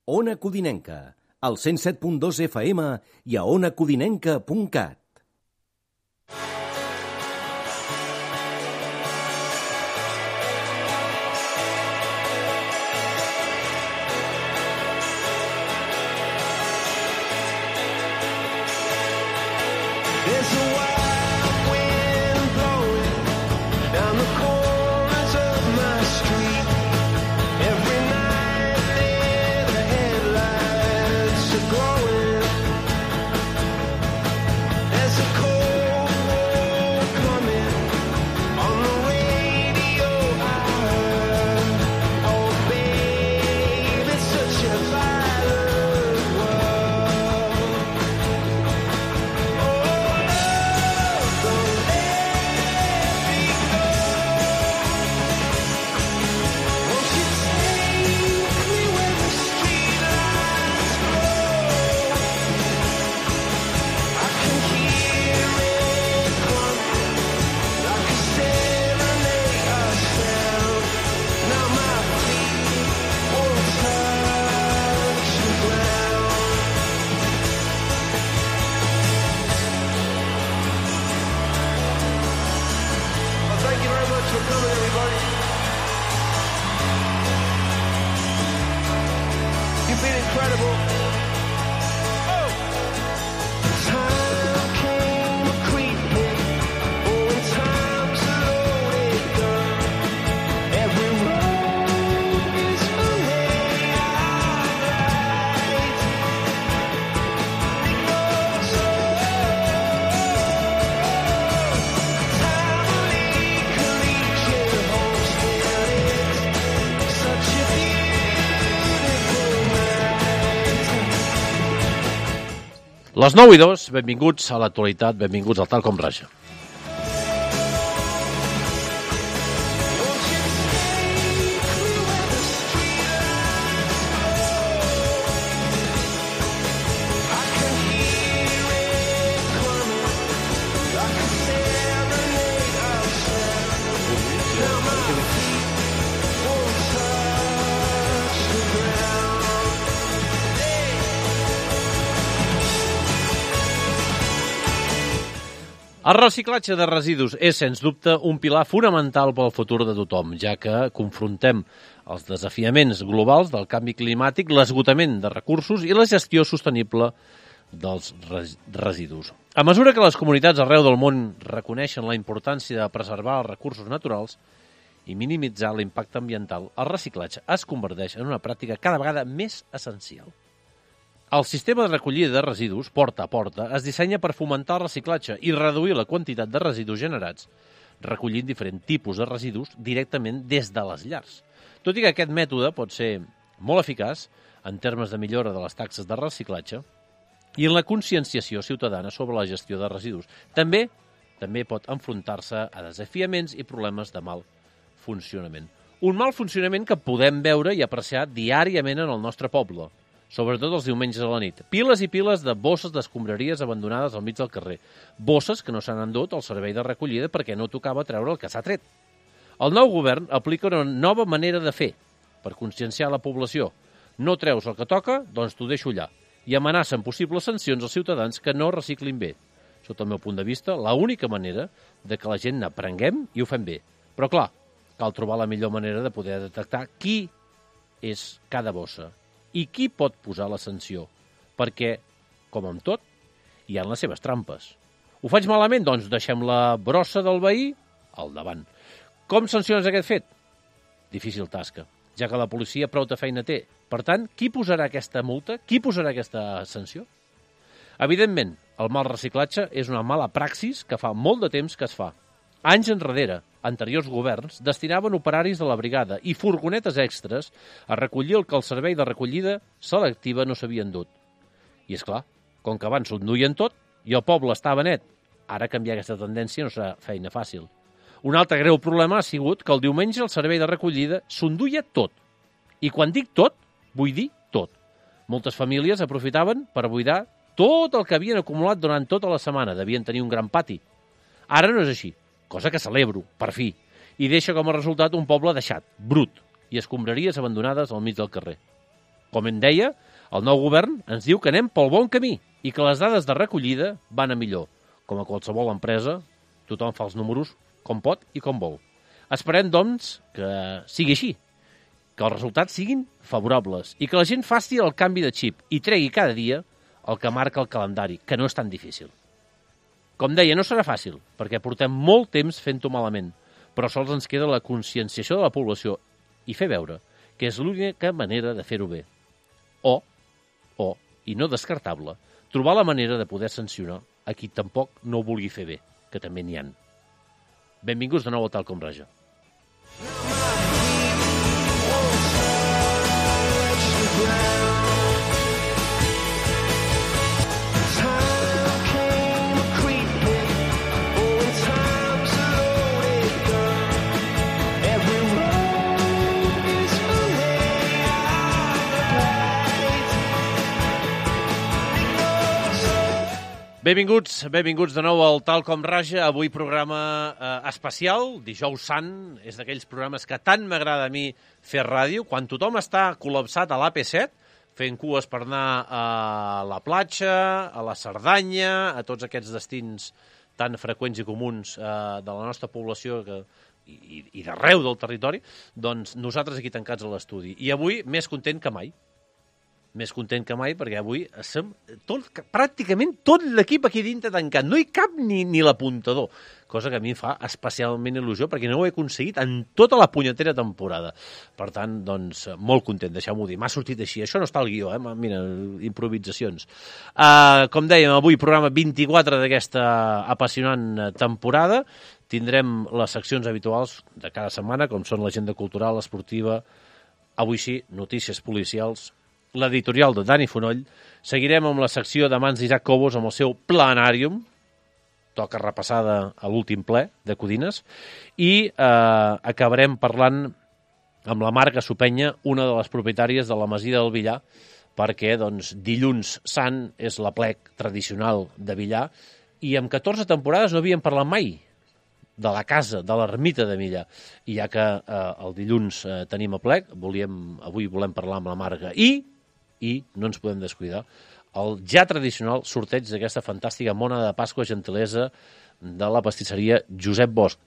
Ona Codinenca, al 107.2 FM i a onacodinenca.cat. Les 9:02, benvinguts a l'actualitat, benvinguts al Tal Com Raja. El reciclatge de residus és, sens dubte, un pilar fonamental pel futur de tothom, ja que confrontem els desafiaments globals del canvi climàtic, l'esgotament de recursos i la gestió sostenible dels residus. A mesura que les comunitats arreu del món reconeixen la importància de preservar els recursos naturals i minimitzar l'impacte ambiental, el reciclatge es converteix en una pràctica cada vegada més essencial. El sistema de recollida de residus, porta a porta, es dissenya per fomentar el reciclatge i reduir la quantitat de residus generats, recollint diferents tipus de residus directament des de les llars. Tot i que aquest mètode pot ser molt eficaç en termes de millora de les taxes de reciclatge i en la conscienciació ciutadana sobre la gestió de residus. També pot enfrontar-se a desafiaments i problemes de mal funcionament. Un mal funcionament que podem veure i apreciar diàriament en el nostre poble, sobretot els diumenges a la nit. Piles i piles de bosses d'escombraries abandonades al mig del carrer. Bosses que no s'han endut al servei de recollida perquè no tocava treure el que s'ha tret. El nou govern aplica una nova manera de fer per conscienciar la població. No treus el que toca, doncs t'ho deixo allà. I amenacen possibles sancions als ciutadans que no reciclin bé. Sota el meu punt de vista, l'única manera de que la gent n'aprenguem i ho fem bé. Però clar, cal trobar la millor manera de poder detectar qui és cada bossa i qui pot posar la sanció, perquè, com amb tot, hi ha les seves trampes. Ho faig malament? Doncs deixem la brossa del veí al davant. Com sanciones aquest fet? Difícil tasca, ja que la policia prou de feina té. Per tant, qui posarà aquesta multa? Qui posarà aquesta sanció? Evidentment, el mal reciclatge és una mala praxis que fa molt de temps que es fa. Anys enrere, anteriors governs destinaven operaris de la brigada i furgonetes extres a recollir el que el servei de recollida selectiva no s'havia endut. I és clar, com que abans s'ho enduien tot i el poble estava net, ara canviar aquesta tendència no serà feina fàcil. Un altre greu problema ha sigut que el diumenge el servei de recollida s'enduia tot. I quan dic tot, vull dir tot. Moltes famílies aprofitaven per buidar tot el que havien acumulat durant tota la setmana. Devien tenir un gran pati. Ara no és així, cosa que celebro, per fi, i deixa com a resultat un poble deixat, brut, i escombraries abandonades al mig del carrer. Com em deia, el nou govern ens diu que anem pel bon camí i que les dades de recollida van a millor. Com a qualsevol empresa, tothom fa els números com pot i com vol. Esperem, doncs, que sigui així, que els resultats siguin favorables i que la gent faci el canvi de xip i tregui cada dia el que marca el calendari, que no és tan difícil. Com deia, no serà fàcil, perquè portem molt temps fent-ho malament, però sols ens queda la conscienciació de la població i fer veure que és l'única manera de fer-ho bé. O, i no descartable, trobar la manera de poder sancionar a qui tampoc no ho vulgui fer bé, que també n'hi ha. Benvinguts de nou a Tal Com Raja. Benvinguts de nou al Tal Com Raja. Avui programa especial, Dijous Sant. És d'aquells programes que tant m'agrada a mi fer ràdio. Quan tothom està col·lapsat a l'AP7, fent cues per anar a la platja, a la Cerdanya, a tots aquests destins tan freqüents i comuns de la nostra població i d'arreu del territori, doncs nosaltres aquí tancats a l'estudi. I avui més content que mai. Més content que mai, perquè avui som pràcticament tot l'equip aquí dintre tancat. No hi cap ni l'apuntador, cosa que a mi em fa especialment il·lusió, perquè no ho he aconseguit en tota la punyetera temporada. Per tant, doncs, molt content, deixeu-m'ho dir. M'ha sortit així. Això no està al guió, Mira, improvisacions. Com dèiem, avui programa 24 d'aquesta apassionant temporada. Tindrem les seccions habituals de cada setmana, com són l'agenda cultural, esportiva, avui sí, notícies policials, l'editorial de Dani Fonoll. Seguirem amb la secció de mans d'Isaac Cobos amb el seu Planàrium, toca repassada a l'últim ple de Codines, i acabarem parlant amb la Marga Supenya, una de les propietàries de la Masia del Villar, perquè doncs, dilluns sant és l'aplec tradicional de Villar, i amb 14 temporades no havíem parlat mai de la casa, de l'ermita de Villar. I ja que el dilluns tenim aplec, avui volem parlar amb la Marga i no ens podem descuidar el ja tradicional sorteig d'aquesta fantàstica mona de Pasqua gentilesa de la pastisseria Josep Bosch.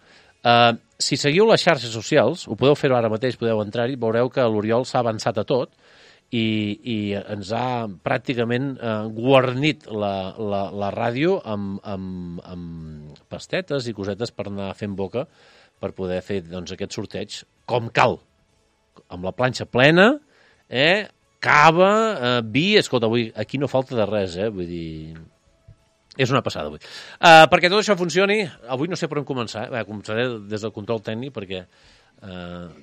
Si seguiu les xarxes socials, ho podeu fer ara mateix, podeu entrar-hi, veureu que l'Oriol s'ha avançat a tot i ens ha pràcticament guarnit la ràdio amb pastetes i cosetes per anar fent boca per poder fer doncs, aquest sorteig com cal, amb la planxa plena, cava, vi, escolta, avui aquí no falta de res, vull dir, és una passada avui. Perquè tot això funcioni, avui no sé per on començar, començaré des del control tècnic, perquè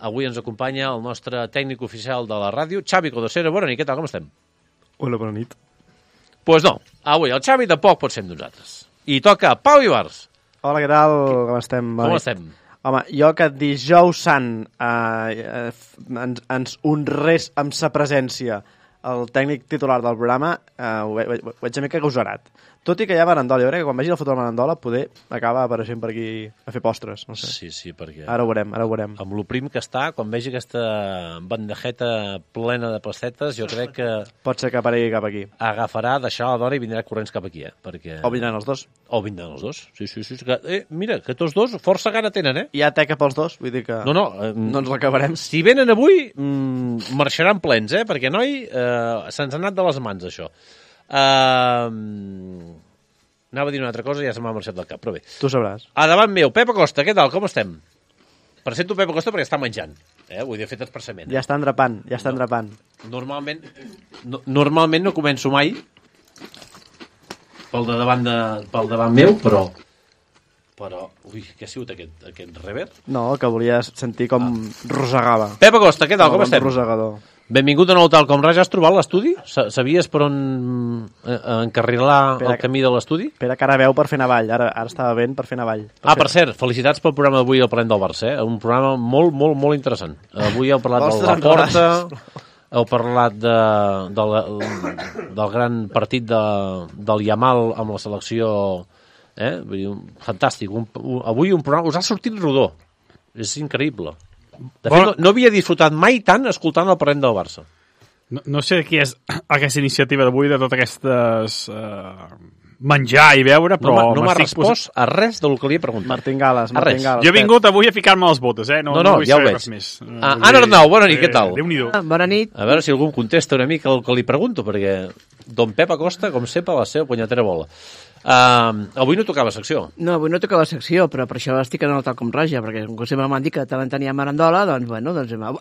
avui ens acompanya el nostre tècnic oficial de la ràdio, Xavi Codosera. Bona nit, què tal, com estem? Hola, bona nit. Pues no, avui el Xavi tampoc pot ser amb nosaltres. I toca Pau Ibars. Hola, què tal, com estem? Com estem? Home, jo que dijous sant ens honrés amb sa presència el tècnic titular del programa, ho veig una mica agosarat. Tot i que hi ha Marandola, jo crec que quan vegi la foto de Marandola poder acaba apareixent per aquí a fer postres, no sé. Sí, perquè... Ara ho veurem. Amb lo prim que està, quan vegi aquesta bandejeta plena de pastetes, jo crec que... Pot ser que aparegui cap aquí. Agafarà, deixarà la dona i vindrà corrents cap aquí, perquè... O vindran els dos. Sí. Que, mira, que tots dos força gana tenen, Hi ha teca pels dos, vull dir que... No ens l'acabarem. Si venen avui, marxaran plens, perquè, noi, se'ns ha anat de les mans, això. Anava a dir una altra cosa i ja se m'ha marxat del cap, però bé. Tu sabràs. A davant meu, Pep Acosta, què tal, com estem? Presento Pep Acosta perquè està menjant, vull dir, he fet expressament. Ja està endrapant. Normalment no començo mai pel davant meu, però... Ui, què ha sigut aquest reverb? No, que volies sentir com rosegava. Pep Acosta, què tal, com estem? Rosegador. Benvingut de nou Tal Com Raja. Has trobat l'estudi? Sabies per on encarrilar el camí de l'estudi? Espera, que ara veu per fer navall. Ara estava ben per fer navall. Per cert, felicitats pel programa d'avui al Parlem del Barça. Un programa molt, molt, molt interessant. Avui heu parlat de la Porta, heu parlat del gran partit del Yamal amb la selecció. Vull dir, fantàstic. Avui un programa us ha sortit rodó. És increïble. De fet, no havia disfrutat mai tant escoltant el Parlem del Barça. No sé qui és aquesta iniciativa d'avui, de totes aquestes menjar i beure, però... No m'ha respost a res del que li he preguntat. Martín Gales. Jo he vingut avui a ficar-me les botes, eh? No vull ja ho saber veig. res més. Anna Arnau, bona nit, què tal? Déu-n'hi-do. Bona nit. A veure si algú em contesta una mica el que li pregunto, perquè don Pep Acosta, com sempre, la seva punyetera bola. Avui no tocava secció. No, avui no tocava secció, però per això estic en el tal com raja, perquè com sempre m'han dit que tant en tenia marandola, doncs, bueno,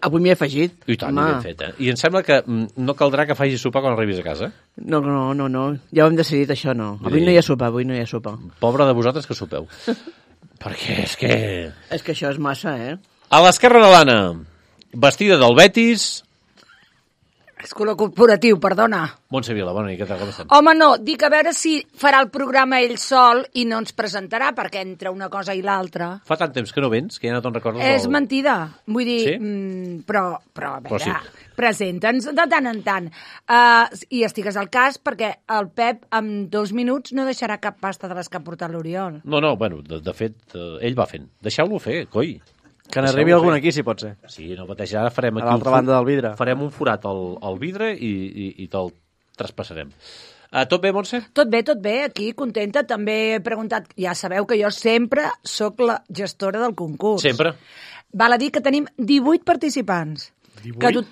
avui m'hi he afegit. I tant, ben fet, eh? I em sembla que no caldrà que facis sopar quan arribis a casa. No, ja ho hem decidit, això no. Avui no hi ha sopar, Pobre de vosaltres que sopeu. Perquè és que... És que això és massa, eh? A l'esquerra de l'Anna, vestida del Betis... És color corporatiu, perdona. Montse Vila, bona nit, què tal, com estem? Home, no, dic a veure si farà el programa ell sol i no ens presentarà, perquè entre una cosa i l'altra... Fa tant temps que no vens, que ja no te'n recordes... És mentida. Vull dir, Sí? però a veure, sí. presenta'ns de tant en tant. I estigues al cas, perquè el Pep en 2 minuts no deixarà cap pasta de les que ha portat l'Oriol. No, bueno, de fet, ell va fent. Deixeu-lo fer, coi. Que n'arribi algun aquí, si pot ser. Sí, no pateix, ara farem aquí... A l'altra banda del vidre. Farem un forat al vidre i te'l traspassarem. Tot bé, Montse? Tot bé, aquí, contenta. També he preguntat, ja sabeu que jo sempre sóc la gestora del concurs. Sempre. Val a dir que tenim 18 participants. 18.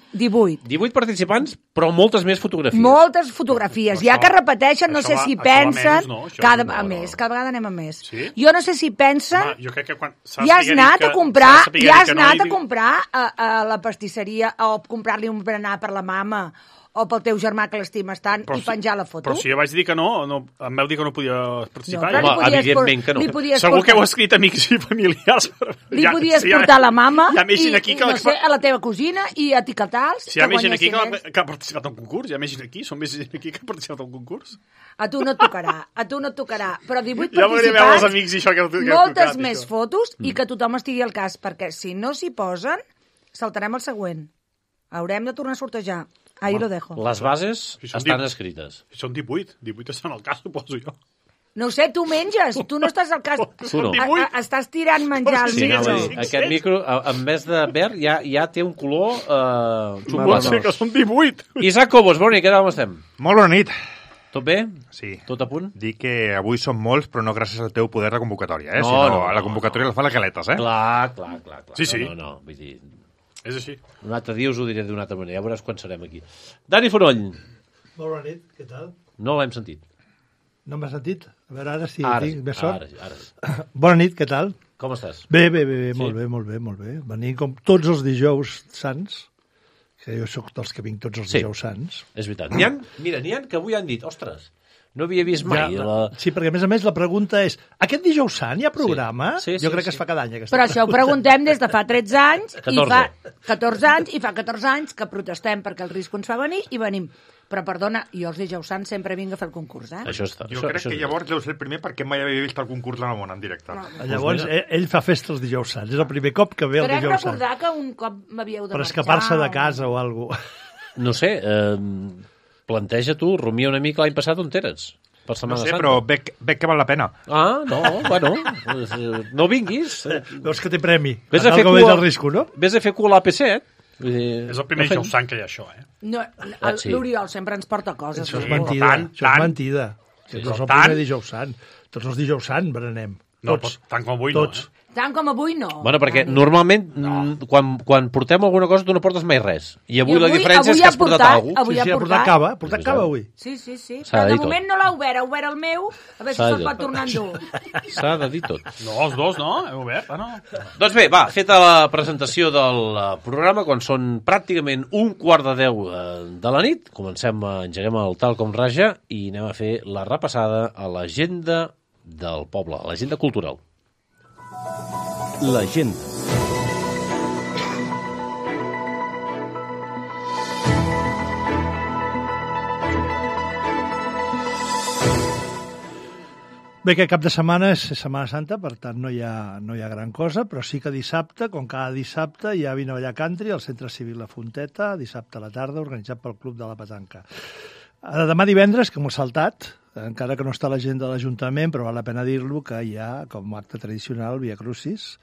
18 participants, però moltes més fotografies. Moltes fotografies. Ja que repeteixen, no sé si pensen... Cada vegada anem a més. Sí? Jo no sé si pensen... Home, jo crec que quan... Ja has anat a comprar a la pastisseria o comprar-li un berenar per la mama o pel teu germà que l'estimes tant i penjar la foto? Però si jo vaig dir que no, em vau dir que no podia participar. Home, evidentment que no. Segur que heu escrit amics i familiars. Li podies portar la mama i, no sé, a la teva cosina i etiquetar-los. Si hi ha més gent aquí que ha participat al concurs, hi ha més gent aquí, són més gent aquí que ha participat al concurs. A tu no et tocarà. Però 18 ja participants, els amics i això que moltes més fotos i que tothom estigui al cas, perquè si no s'hi posen, saltarem el següent. Haurem de tornar a sortejar. Ahí lo dejo. Les bases estan escrites. Són 18 estan al cas, suposo jo. No sé, tu menges, tu no estàs al cas. Tu no. Estàs tirant menjar al micro. Aquest micro, en vez de verd, ja té un color Pot ser que són 18. Isaac Cobos, bona nit, què tal, com estem? Molt bona nit. Tot bé? Sí. Tot a punt? Dic que avui som molts, però no gràcies al teu poder de convocatòria, No, sinó a la convocatòria la fa la Galetes, eh? Clar. Sí. No, vull dir... És així. Un altre dia us ho diré d'una altra manera, ja veuràs quan serem aquí. Dani Fonoll. Molt bona nit, què tal? No l'hem sentit. No m'has sentit? A veure, ara sí, Ara, tinc més sort. Ara. Bona nit, què tal? Com estàs? Bé, molt bé. Venint com tots els dijous sants, que jo sóc dels que vinc tots els dijous sants. És veritat. N'hi ha que avui han dit, ostres, no havia vist mai. Sí, perquè a més la pregunta és, aquest dijous sant hi ha programa? Sí, jo crec que es fa cada any. Però això ho preguntem des de fa 13 anys, 14. i fa 14 anys que protestem perquè el risc ens fa venir i venim. Però perdona, jo els dijous sants sempre vinc a fer el concurs, eh? Això està. Jo crec que llavors deu ser el primer perquè mai havia vist el concurs en el món en directe. Llavors, ell fa festa els dijous sants. És el primer cop que ve el dijous sant. Crec recordar que un cop m'havíeu de per marxar. escapar-se de casa o alguna cosa. No sé, planteja tu, rumia una mica l'any passat on eres? Per Setmana No sé, Santa. però veig que val la pena. No, bueno, no vinguis. Veus que té premi. Ves a fer cua al risco, no? Ves a fer cua a l'AP7. És el primer dijous sant que hi ha això, eh? No, sí. L'Oriol sempre ens porta coses. Això és no? mentida. Això és mentida. Sí, No és el tant. primer dijous sant. Tots els dijous sant berenem. No, Tots. tant com avui Tots. no, eh? Tant com avui no. Bueno, perquè normalment quan portem alguna cosa tu no portes mai res. I avui la diferència és que has portat alguna cosa. Avui Sí, ha portat cava. Ha portat cava avui. Sí. S'ha Però de de dir moment no l'ha obert. Ha obert el meu. A veure si S'ha de se'l dir. pot tornar a endur. S'ha de dir tot. No, els dos, no? Hem obert? No. Doncs bé, va, feta la presentació del programa, quan són pràcticament 9:45 de la nit, engeguem el tal com raja i anem a fer la repassada a l'agenda del poble, a l'agenda cultural. L'agenda. Bé, que cap de setmana és Setmana Santa, per tant no hi ha gran cosa, però sí que dissabte, com cada dissabte, hi ha Vine a ballar country al Centre Civil La Fonteta, dissabte a la tarda, organitzat pel Club de la Petanca. Demà divendres, que m'ho he saltat, encara que no està a l'agenda de l'Ajuntament, però val la pena dir-lo, que hi ha, com a acte tradicional, Via Crucis,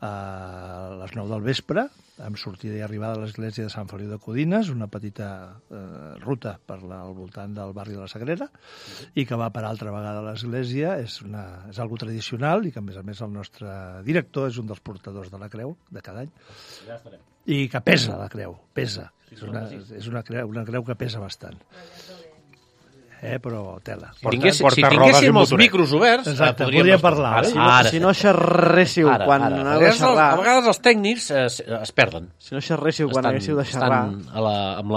a les 9 del vespre, amb sortida i arribada a l'església de Sant Feliu de Codines, una petita ruta al voltant del barri de la Sagrera, i que va per altra vegada a l'església. És algo tradicional i que, a més, el nostre director és un dels portadors de la creu de cada any. Ja estarem. I que pesa la creu, pesa. És una creu que pesa bastant. Però tela. Si tinguéssim els micros oberts, podríem parlar. Si no xerréssiu quan aneu de xerrar... A vegades els tècnics es perden. Si no xerréssiu quan haguéssiu de xerrar...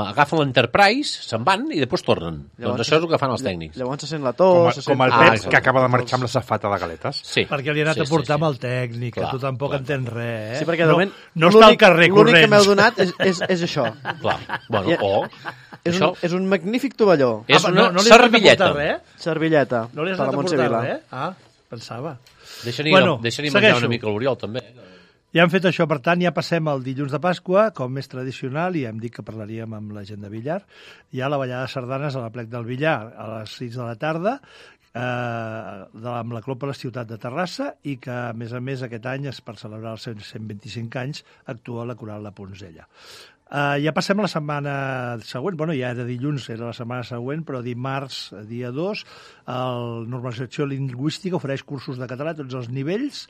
Agafen l'Enterprise, se'n van i després tornen. Doncs això és el que fan els tècnics. Llavors se sent la tos... Com el Pep, que acaba de marxar amb la safata de galetes. Sí. Perquè li ha anat a portar amb el tècnic, que tu tampoc entens res. Sí, perquè de moment no està al carrer corrents. L'únic que m'heu donat és això. Clar. Bueno, és un magnífic tovalló. És una servilleta. Servilleta. No li has anat a portar res? Pensava. Deixa-n'hi menjar una mica l'Oriol, també. Ja hem fet això, per tant, ja passem al dilluns de Pasqua, com és tradicional, i hem dit que parlaríem amb la gent de Villar. Hi ha la ballada de sardanes a la plec del Villar a les 6 de la tarda, amb la Clopa a la ciutat de Terrassa, i que, a més, aquest any, per celebrar els 125 anys, actua la Coral de Poncella. Ja passem a la setmana següent, ja era dilluns, era la setmana següent, però dimarts, dia 2, el Normalització Lingüística ofereix cursos de català a tots els nivells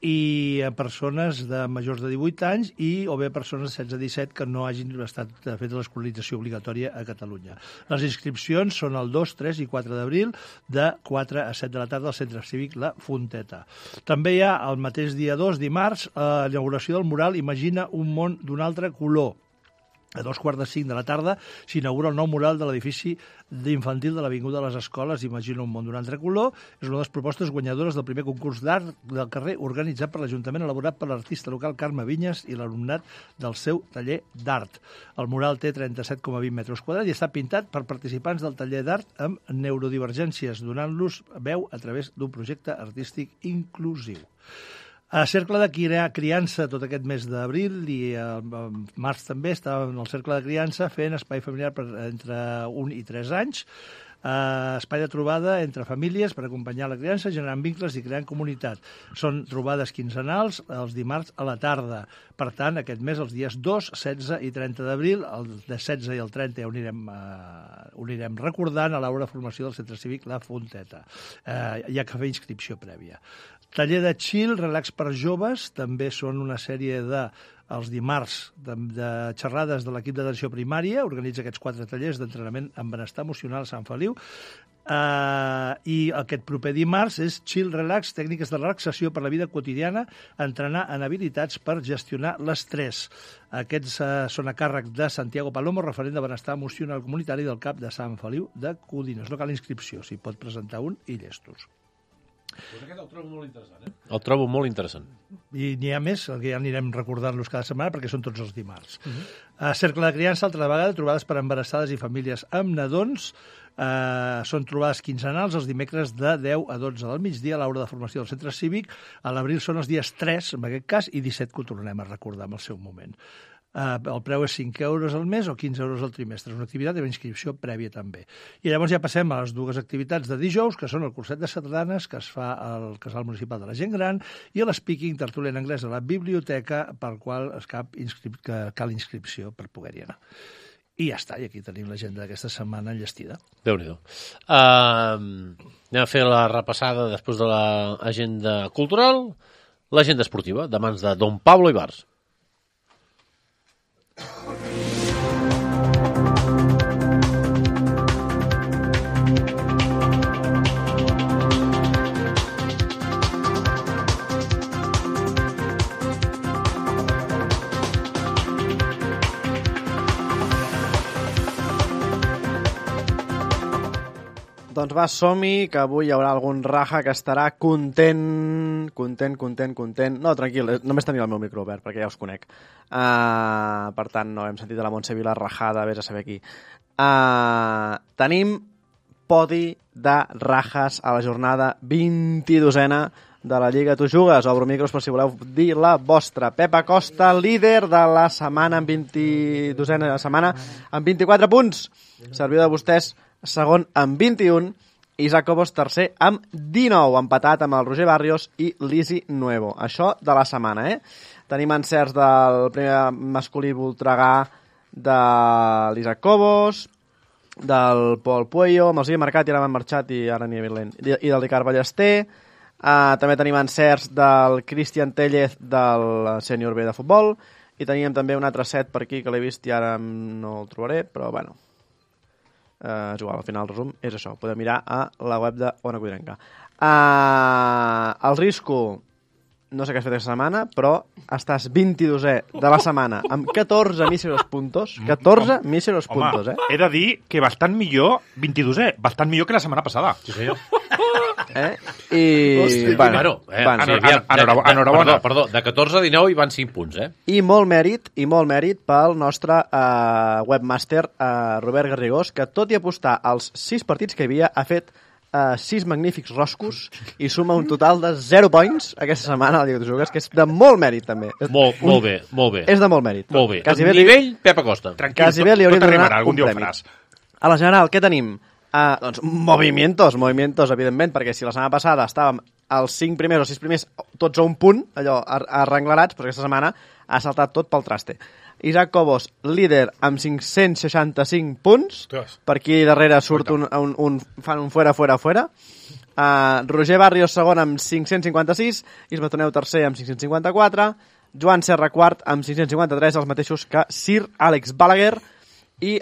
i a persones de majors de 18 anys o bé persones de 16 a 17 que no hagin estat fet l'escolarització obligatòria a Catalunya. Les inscripcions són el 2, 3 i 4 d'abril de 4 a 7 de la tarda al Centre Cívic La Fonteta. També hi ha el mateix dia 2, dimarts, l'inauguració del mural Imagina un món d'un altre color. A 2:45 de la tarda s'inaugura el nou mural de l'edifici infantil de l'Avinguda de les Escoles Imagina un món d'un altre color. És una de les propostes guanyadores del primer concurs d'art del carrer organitzat per l'Ajuntament, elaborat per l'artista local Carme Vinyes i l'alumnat del seu taller d'art. El mural té 37,20 metres quadrats i està pintat per participants del taller d'art amb neurodivergències, donant-los veu a través d'un projecte artístic inclusiu. A Cercle de Criança tot aquest mes d'abril i al març també estàvem al Cercle de Criança fent espai familiar entre 1 i 3 anys, espai de trobada entre famílies per acompanyar la criança, generant vincles i creant comunitat. Són trobades quinzenals els dimarts a la tarda. Per tant, aquest mes, els dies 2, 16 i 30 d'abril, el de 16 i el 30 ja ho anirem recordant a l'hora de formació del Centre Cívic La Fonteta. Hi ha que fer inscripció prèvia. Taller de chill, relax per joves, també són una sèrie els dimarts de xerrades de l'equip d'atenció primària, organitza aquests 4 tallers d'entrenament en benestar emocional a Sant Feliu, i aquest proper dimarts és chill, relax, tècniques de relaxació per la vida quotidiana, entrenar en habilitats per gestionar l'estrès. Aquests són a càrrec de Santiago Palomo, referent de benestar emocional comunitari del CAP de Sant Feliu de Codines. No cal inscripció, s'hi pot presentar un i llestos. Pues aquest el trobo molt interessant, El trobo molt interessant. I n'hi ha més, que ja anirem recordant-los cada setmana, perquè són tots els dimarts. Cercle de Criança, altra vegada, trobades per embarassades i famílies amb nadons. Són trobades quinzenals els dimecres de 10 a 12 del migdia a l'hora de formació del Centre Cívic. A l'abril són els dies 3, en aquest cas, i 17 que ho tornem a recordar en el seu moment. El preu és 5 euros al mes o 15 euros al trimestre. És una activitat amb inscripció prèvia també. I llavors ja passem a les dues activitats de dijous, que són el curset de sardanes, que es fa al Casal Municipal de la Gent Gran, i l'speaking tertúlia en anglès a la biblioteca, pel qual cal inscripció per poder-hi anar. I ja està, i aquí tenim l'agenda d'aquesta setmana enllestida. Déu-n'hi-do. Anem a fer la repassada després de l'agenda cultural, l'agenda esportiva, de mans de Don Pablo Ibars. Doncs va, som-hi, que avui hi haurà algun raja que estarà content. No, tranquil, només tenia el meu micro obert, perquè ja us conec. Per tant, no hem sentit a la Montse Vila rajada, vés a saber qui. Tenim podi de rajas a la jornada 22a de la Lliga Tu Jugues. Obro micros per si voleu dir la vostra. Pep Acosta, líder de la setmana en 22a setmana, amb 24 punts. Serviu de vostès segon amb 21 Isaac Cobos tercer amb 19, empatat amb el Roger Barrios i l'Isi Nuevo. Això de la setmana, Tenim encerts del primer masculí Voltregà de l'Isaac Cobos, del Pol Puello, amb els havia marcat i ara m'han marxat i ara n'hi havia lent, i del Ricard Ballester. També tenim encerts del Cristian Tellez del Sènior B de futbol i teníem també un altre set per aquí que l'he vist i ara no el trobaré, però bueno, és igual, al final el resum és això, podeu mirar a la web de Ona Codinenca. El Risco, no sé què has fet aquesta setmana, però estàs 22è de la setmana amb 14 míseros puntos. 14 míseros puntos, He de dir que bastant millor, 22è, bastant millor que la setmana passada. Sí, senyor. I... Enhorabona. Perdó, de 14 a 19 hi van 5 punts, I molt mèrit pel nostre webmaster Robert Garrigós, que tot i apostar als 6 partits que hi havia, ha fet 6 magnífics roscos i suma un total de 0 points aquesta setmana a la Lliga de Jugues, que és de molt mèrit també. Molt bé. És de molt mèrit. Molt bé. Nivell Pep Acosta. Quasi bé li hauria de donar algun un dia premi. A la general, què tenim? Doncs movimientos, evidentment, perquè si la setmana passada estàvem els 5 primers o 6 primers tots a un punt, allò arrenglarats, però aquesta setmana ha saltat tot pel traste. Isaac Cobos, líder amb 565 punts. Per aquí darrere surt fan un fuera. Roger Barrios segon amb 556, Isma Toneu tercer amb 554, Joan Serra quart amb 553, els mateixos que Sir Àlex Balaguer, i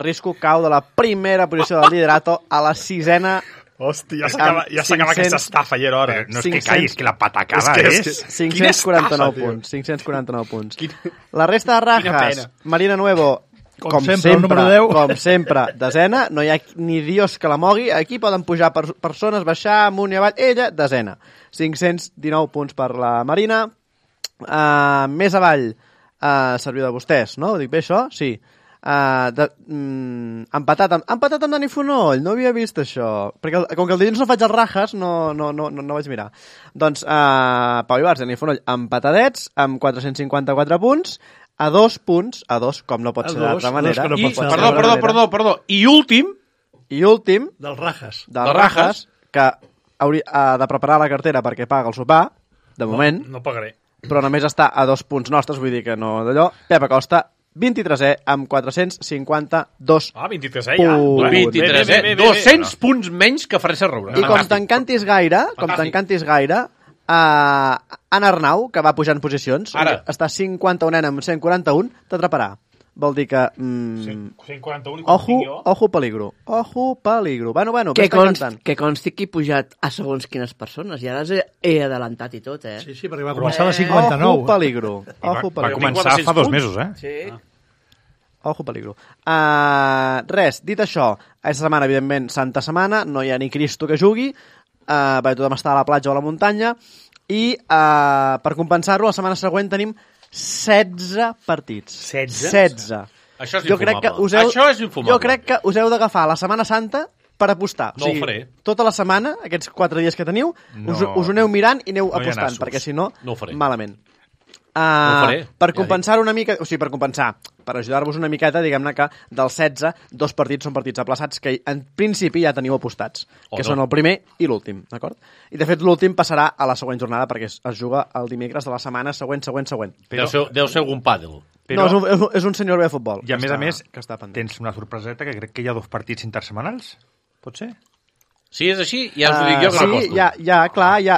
Risco cau de la primera posició del liderato a la 6a. Hòstia, ja s'acaba aquesta estafa, ja era hora. No és que caigui, és que la patacada és... 549 punts. 549 punts. La resta de rajas, Marina Nuevo, com sempre, desena, no hi ha ni dios que la mogui, aquí poden pujar persones, baixar amunt i avall, ella, desena. 519 punts per la Marina. Més avall, serviu de vostès, no? Ho dic bé, això? Sí. Empatat amb Dani Fonoll, no havia vist això, perquè com que el dilluns no faig els rajas no vaig mirar. Doncs Pau Ibarz i Dani Fonoll empatadets amb 454 punts, a 2 punts, com no pot ser d'altra manera. Perdó. I últim dels rajas, que hauria de preparar la cartera perquè paga el sopar, de moment, no pagaré, però només està a 2 punts nostres, vull dir que no d'allò. Pep Acosta 23è amb 452 23è ja. 23è, 200 punts menys que Fresa Roura. I com t'encantis gaire, Anna Arnau, que va pujar en posicions, està 51 amb 141, t'atraparà. Vol dir que... 141 Ojo peligro. Bueno, que consti que he pujat a segons quines persones, i ara he adelantat i tot, Sí, perquè va començar a la 59. Ojo peligro. Va començar fa 2 mesos, Sí. Ojo peligro. Res, dit això, aquesta setmana, evidentment, Santa Setmana, no hi ha ni Cristo que jugui, perquè tothom està a la platja o a la muntanya, i per compensar-ho, la setmana següent tenim 16 partits. 16? Això és infumable. Jo crec que us heu d'agafar la Setmana Santa per apostar. No ho faré. Tota la setmana, aquests 4 dies que teniu, us ho aneu mirant i aneu apostant, perquè si no, malament. Per compensar una mica, o sigui, per ajudar-vos una miqueta, diguem-ne que dels 16, 2 partits són partits aplaçats que en principi ja teniu apostats, que són el primer i l'últim, d'acord? I de fet l'últim passarà a la següent jornada perquè es juga el dimecres de la setmana següent. Deu ser algun pàdel. No, és un senyor bé de futbol. I a més, tens una sorpreseta que crec que hi ha 2 partits intersetmanals, pot ser? Si és així, ja us ho dic jo que l'aposto.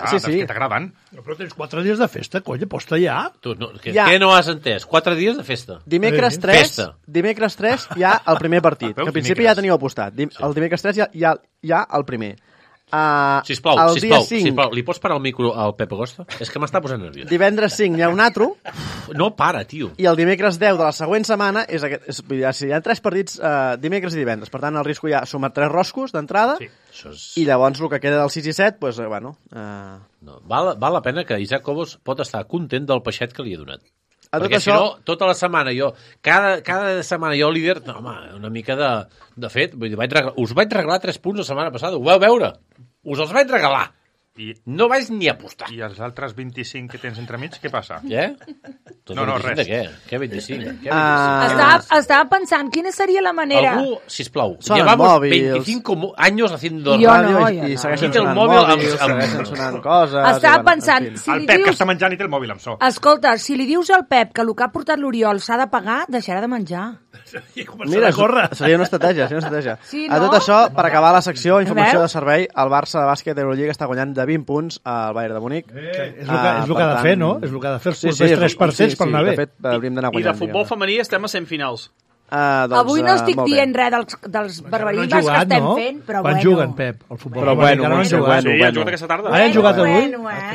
Sí. És que t'agraden. Però tens 4 dies de festa, colla, aposta ja. Què no has entès? 4 dies de festa. Dimecres 3 hi ha el primer partit, que al principi ja teníeu apostat. El dimecres 3 hi ha el primer. Sisplau, li pots parar el micro al Pep Acosta? És que m'està posant nerviós. Divendres 5 hi ha un altre. No para, tio. I el dimecres 10 de la següent setmana hi ha 3 partits dimecres i divendres. Per tant, el risco ja suma 3 roscos d'entrada. I llavors el que queda del 6 i 7, doncs, bueno... Val la pena que Isaac Cobos pot estar content del peixet que li ha donat. Perquè si no, tota la setmana jo, cada setmana jo líder, no, home, una mica de fet, vull dir, us vaig regalar 3 punts la setmana passada, ho vau veure? Us els vaig regalar. No vaig ni apostar. I els altres 25 que tens entremig, què passa? Què? No, res. De què? Què 25? Estava pensant quina seria la manera... Algú, sisplau, Sonen llevamos mòbils. 25 años haciendo Jo radio no, I segueixen Aquí té el sonant mòbil mòbils, amb- segueixen sonant coses... Estava pensant, si El li Pep, que dius... està menjant i té el mòbil amb so. Escolta, si li dius al Pep que el que ha portat l'Oriol s'ha de pagar, deixarà de menjar. Mira, seria una estratègia, Sí, A no? tot això, per acabar la secció, informació veus? de servei, el Barça de bàsquet d'Eurolliga està guanyant de 20 punts al Bayern de Múnich. És el que ha de fer, no? És el que ha de fer els propers 3 partits per anar bé. De fet, hauríem d'anar I guanyant. de futbol femení estem a semifinals. Avui no estic dient res dels barbarismes que estem fent, però Quan bueno. juguen, Pep, el futbol. Però bueno, encara no han jugat. Sí, han jugat aquesta tarda. Han jugat avui?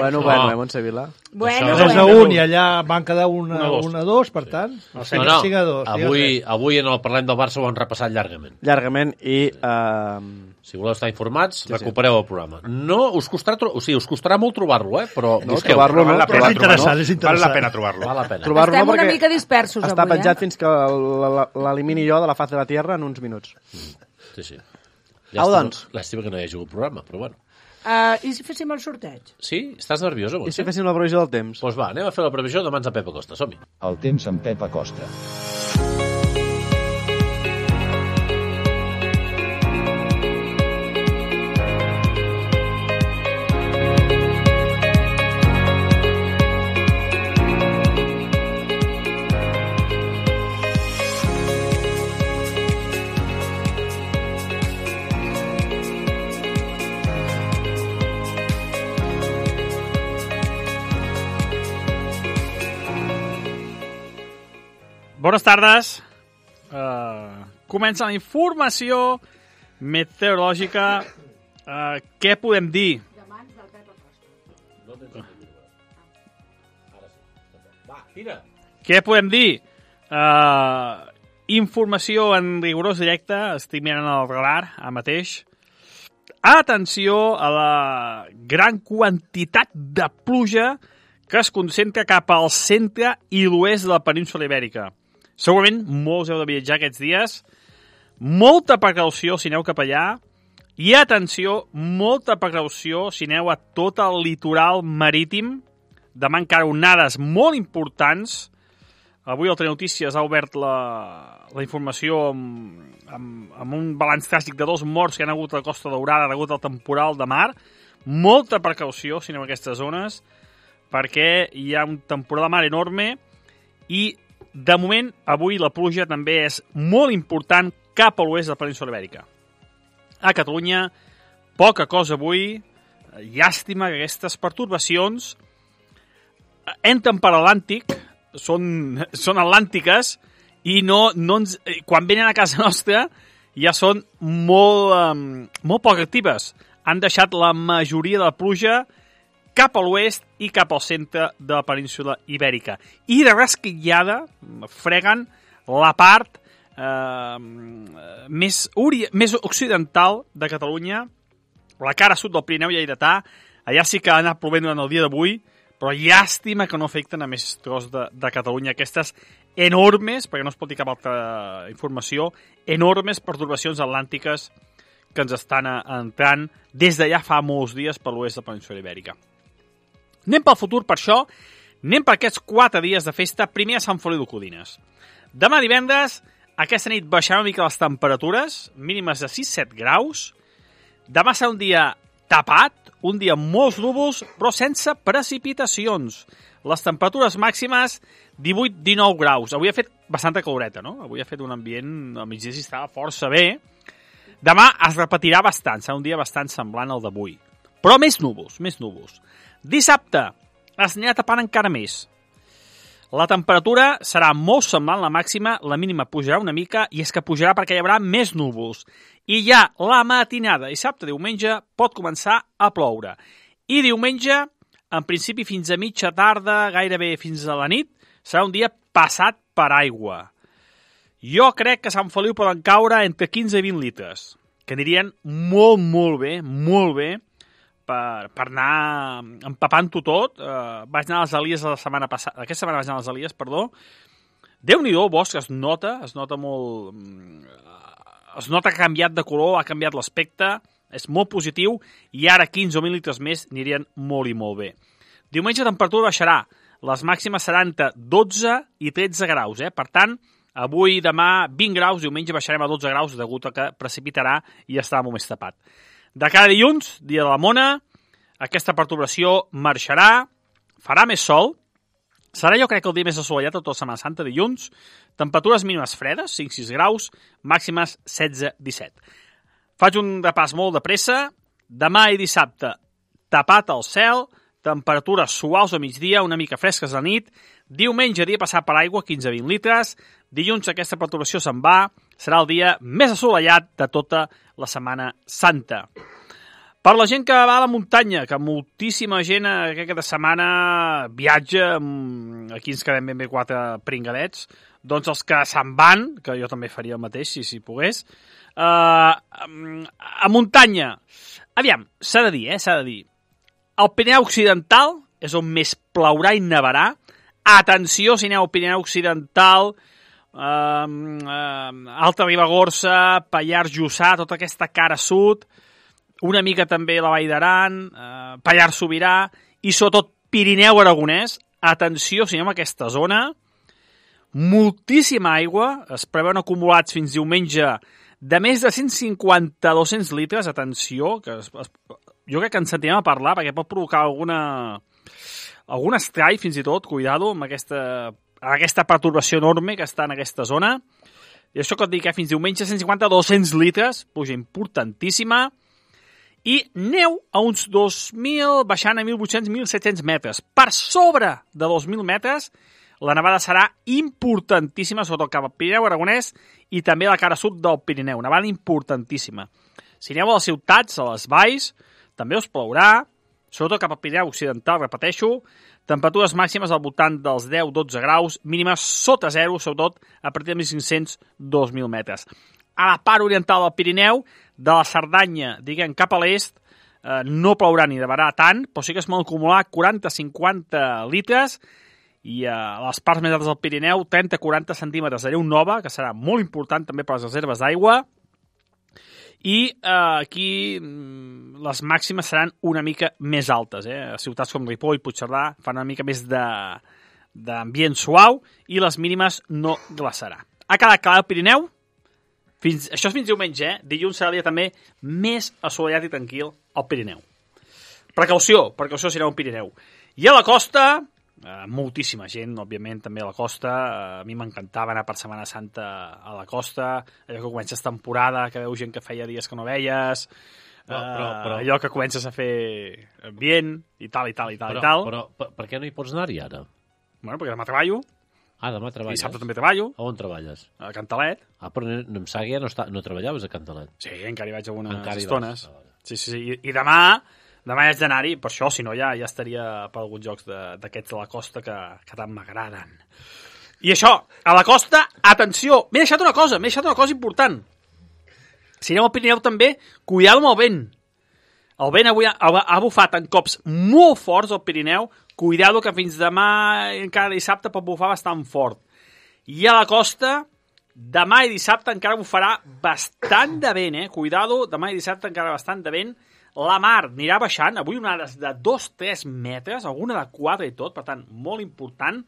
Bueno, Montsevila. Bueno, 3-1 i allà van quedar 1-2. 1-2, per tant. No, 5-2. avui en el Parlem del Barça ho han repassat llargament. Llargament i... Si voleu estar informats, recupereu el programa. No, us costarà molt trobar-lo, però busqueu. trobar-lo no, Però és interessant, és Val interessant. la pena trobar-lo. Val la pena. trobar-lo estem una perquè mica dispersos està avui, penjat fins que l'elimini jo de la faz de la Tierra en uns minuts. Sí. Au, doncs. Làstima que no hi hagi hagut programa, però bueno. I si féssim el sorteig? Sí? Estàs nerviosa? I si féssim la previsió del temps? Doncs va, anem a fer la previsió de mans a Pep Acosta. Som-hi. El temps amb Pep Acosta. Bones tardes. Comença la informació meteorològica. Què podem dir? Què podem dir? Informació en rigorós directe. Estic mirant el radar ara mateix. Atenció a la gran quantitat de pluja que es concentra cap al centre i l'oest de la península Ibèrica. Segurament molts heu de viatjar aquests dies. Molta precaució si aneu cap allà. I atenció, molta precaució si aneu a tot el litoral marítim. Demà encara onades molt importants. Avui el Telenotícies ha obert la informació amb un balanç tràgic de 2 morts que han hagut a la Costa Daurada degut al temporal de mar. Molta precaució si aneu a aquestes zones, perquè hi ha un temporal de mar enorme i, de moment, avui la pluja també és molt important cap a l'oest de la península Ibèrica. A Catalunya, poca cosa avui. Llàstima que aquestes pertorbacions entren per l'Atlàntic, són atlàntiques i quan venen a casa nostra ja són molt poc actives. Han deixat la majoria de la pluja cap a l'oest i cap al centre de la península Ibèrica. I de rasquillada freguen la part més occidental de Catalunya, la cara sud del Pirineu lleidatà. Allà sí que ha anat plovent durant el dia d'avui, però llàstima que no afecten a més tros de Catalunya. Aquestes enormes, perquè no es pot dir cap altra informació, enormes pertorbacions atlàntiques que ens estan entrant des d'allà fa molts dies per l'oest de la península Ibèrica. Anem pel futur, per això, anem per aquests 4 dies de festa, primer a Sant Feliu de Codines. Demà divendres, aquesta nit baixaran una mica les temperatures, mínimes de 6-7 graus. Demà serà un dia tapat, un dia amb molts núvols, però sense precipitacions. Les temperatures màximes, 18-19 graus. Avui ha fet bastanta caloreta, no? Avui ha fet un ambient, al migdia s'hi estava força bé. Demà es repetirà bastant, serà un dia bastant semblant al d'avui. Però més núvols. Dissabte es anirà tapant encara més. La temperatura serà molt semblant la màxima, la mínima pujarà una mica, i és que pujarà perquè hi haurà més núvols. I ja la matinada, dissabte, diumenge, pot començar a ploure. I diumenge, en principi fins a mitja tarda, gairebé fins a la nit, serà un dia passat per aigua. Jo crec que a Sant Feliu poden caure entre 15 i 20 litres, que anirien molt bé, per anar empapant-ho tot. Vaig anar a les Elies la setmana passada, aquesta setmana vaig anar a les Elies, perdó. Déu-n'hi-do, el bosc es nota molt... Es nota que ha canviat de color, ha canviat l'aspecte, És molt positiu i ara 15 o 20 litres més anirien molt i molt bé. Diumenge la temperatura baixarà. Les màximes seran de 12 i 13 graus. Per tant, avui i demà 20 graus, diumenge baixarem a 12 graus degut a que precipitarà i estarà molt més tapat. De cada dilluns, dia de la mona, aquesta perturbació marxarà, farà més sol, serà jo crec el dia més assolellat de tota la Setmana Santa, dilluns, temperatures mínimes fredes, 5-6 graus, màximes 16-17. Faig un repàs molt de pressa, demà i dissabte tapat el cel, temperatures suaus a migdia, una mica fresques a la nit, diumenge dia passat per aigua, 15-20 litres, dilluns aquesta perturbació se'n va, serà el dia més assolellat de tota la Setmana Santa. Per la gent que va a la muntanya, que moltíssima gent aquesta setmana viatja, aquí ens quedem ben bé 4 pringadets, doncs els que se'n van, que jo també faria el mateix si pogués, a muntanya, aviam, s'ha de dir, el Pirineu Occidental és on més plourà i nevarà. Atenció, si aneu al Pirineu Occidental, Alta Ribagorça, Pallars Jussà, tota aquesta cara sud, una mica també la Vall d'Aran, Pallars Sobirà i sobretot Pirineu Aragonès. Atenció, si anem a aquesta zona, moltíssima aigua, es preveuen acumulats fins diumenge de més de 150-200 litres, atenció, que jo crec que ens sentirem a parlar perquè pot provocar algun estrall fins i tot, cuidado, amb aquesta perturbació enorme que està en aquesta zona. I això que et dic, fins diumenge 150-200 litres, puja importantíssima, i neu a uns 2.000, baixant a 1.800-1.700 metres. Per sobre de 2.000 metres, la nevada serà importantíssima, sobretot cap al Pirineu Aragonès i també a la cara sud del Pirineu. Nevada importantíssima. Si aneu a les ciutats, a les valls, també us plourà, sobretot cap al Pirineu Occidental, repeteixo, temperatures màximes al voltant dels 10-12 graus, mínimes sota 0, sobretot a partir de 1.500-2.000 metres. A la part oriental del Pirineu, de la Cerdanya, diguem, cap a l'est, no plourà ni nevarà tant, però sí que es poden acumular 40-50 litres, i a les parts més altes del Pirineu, 30-40 centímetres de neu nova, que serà molt important també per les reserves d'aigua, i aquí les màximes seran una mica més altes. A ciutats com Ripoll i Puigcerdà fan una mica més d'ambient suau i les mínimes no glaçarà. Ha quedat clar el Pirineu? Això és fins diumenge, dilluns serà el dia també més assolellat i tranquil al Pirineu. Precaució si aneu al Pirineu. I a la costa, moltíssima gent, òbviament, també a la costa. A mi m'encantava anar per Setmana Santa a la costa, allò que comences temporada, que veus gent que feia dies que no veies, però allò que comences a fer ambient, i tal. Però per què no hi pots anar-hi ara? Bueno, perquè demà treballo. Demà treballes? I dissabte també treballo. A on treballes? A Cantalet. Però em sap que ja no treballaves a Cantalet. Sí, encara hi vaig algunes estones. Sí. I demà haig d'anar-hi, per això, si no ja estaria per alguns jocs d'aquests de la costa que tant m'agraden. I això, a la costa, atenció, m'he deixat una cosa important. Si aneu al Pirineu també, cuidado amb el vent. El vent avui ha bufat en cops molt forts al Pirineu, cuidado que fins demà, encara dissabte, pot bufar bastant fort. I a la costa, demà i dissabte encara bufarà bastant de vent, cuidado, demà i dissabte encara bastant de vent. La mar anirà baixant, avui onades de 2-3 metres, alguna de 4 i tot, per tant, molt important.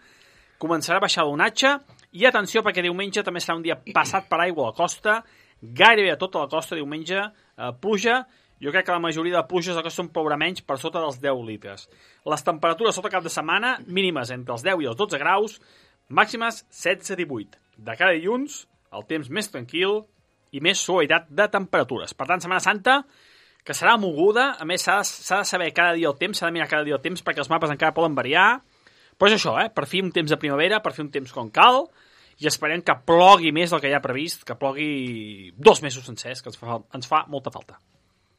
Començarà a baixar l'onatge, i atenció, perquè diumenge també serà un dia passat per aigua a la costa, gairebé a tota la costa, diumenge, pluja. Jo crec que la majoria de pluges a la costa plourà menys per sota dels 10 litres. Les temperatures sota cap de setmana, mínimes entre els 10 i els 12 graus, màximes 16-18. De cada dilluns, el temps més tranquil i més suavitat de temperatures. Per tant, Setmana Santa, que serà moguda, a més s'ha de saber cada dia el temps, s'ha de mirar cada dia el temps perquè els mapes encara poden variar, però és això, per fi un temps de primavera, per fi un temps com cal, i esperem que plogui més del que ja ha previst, que plogui 2 mesos sencers, que ens fa molta falta.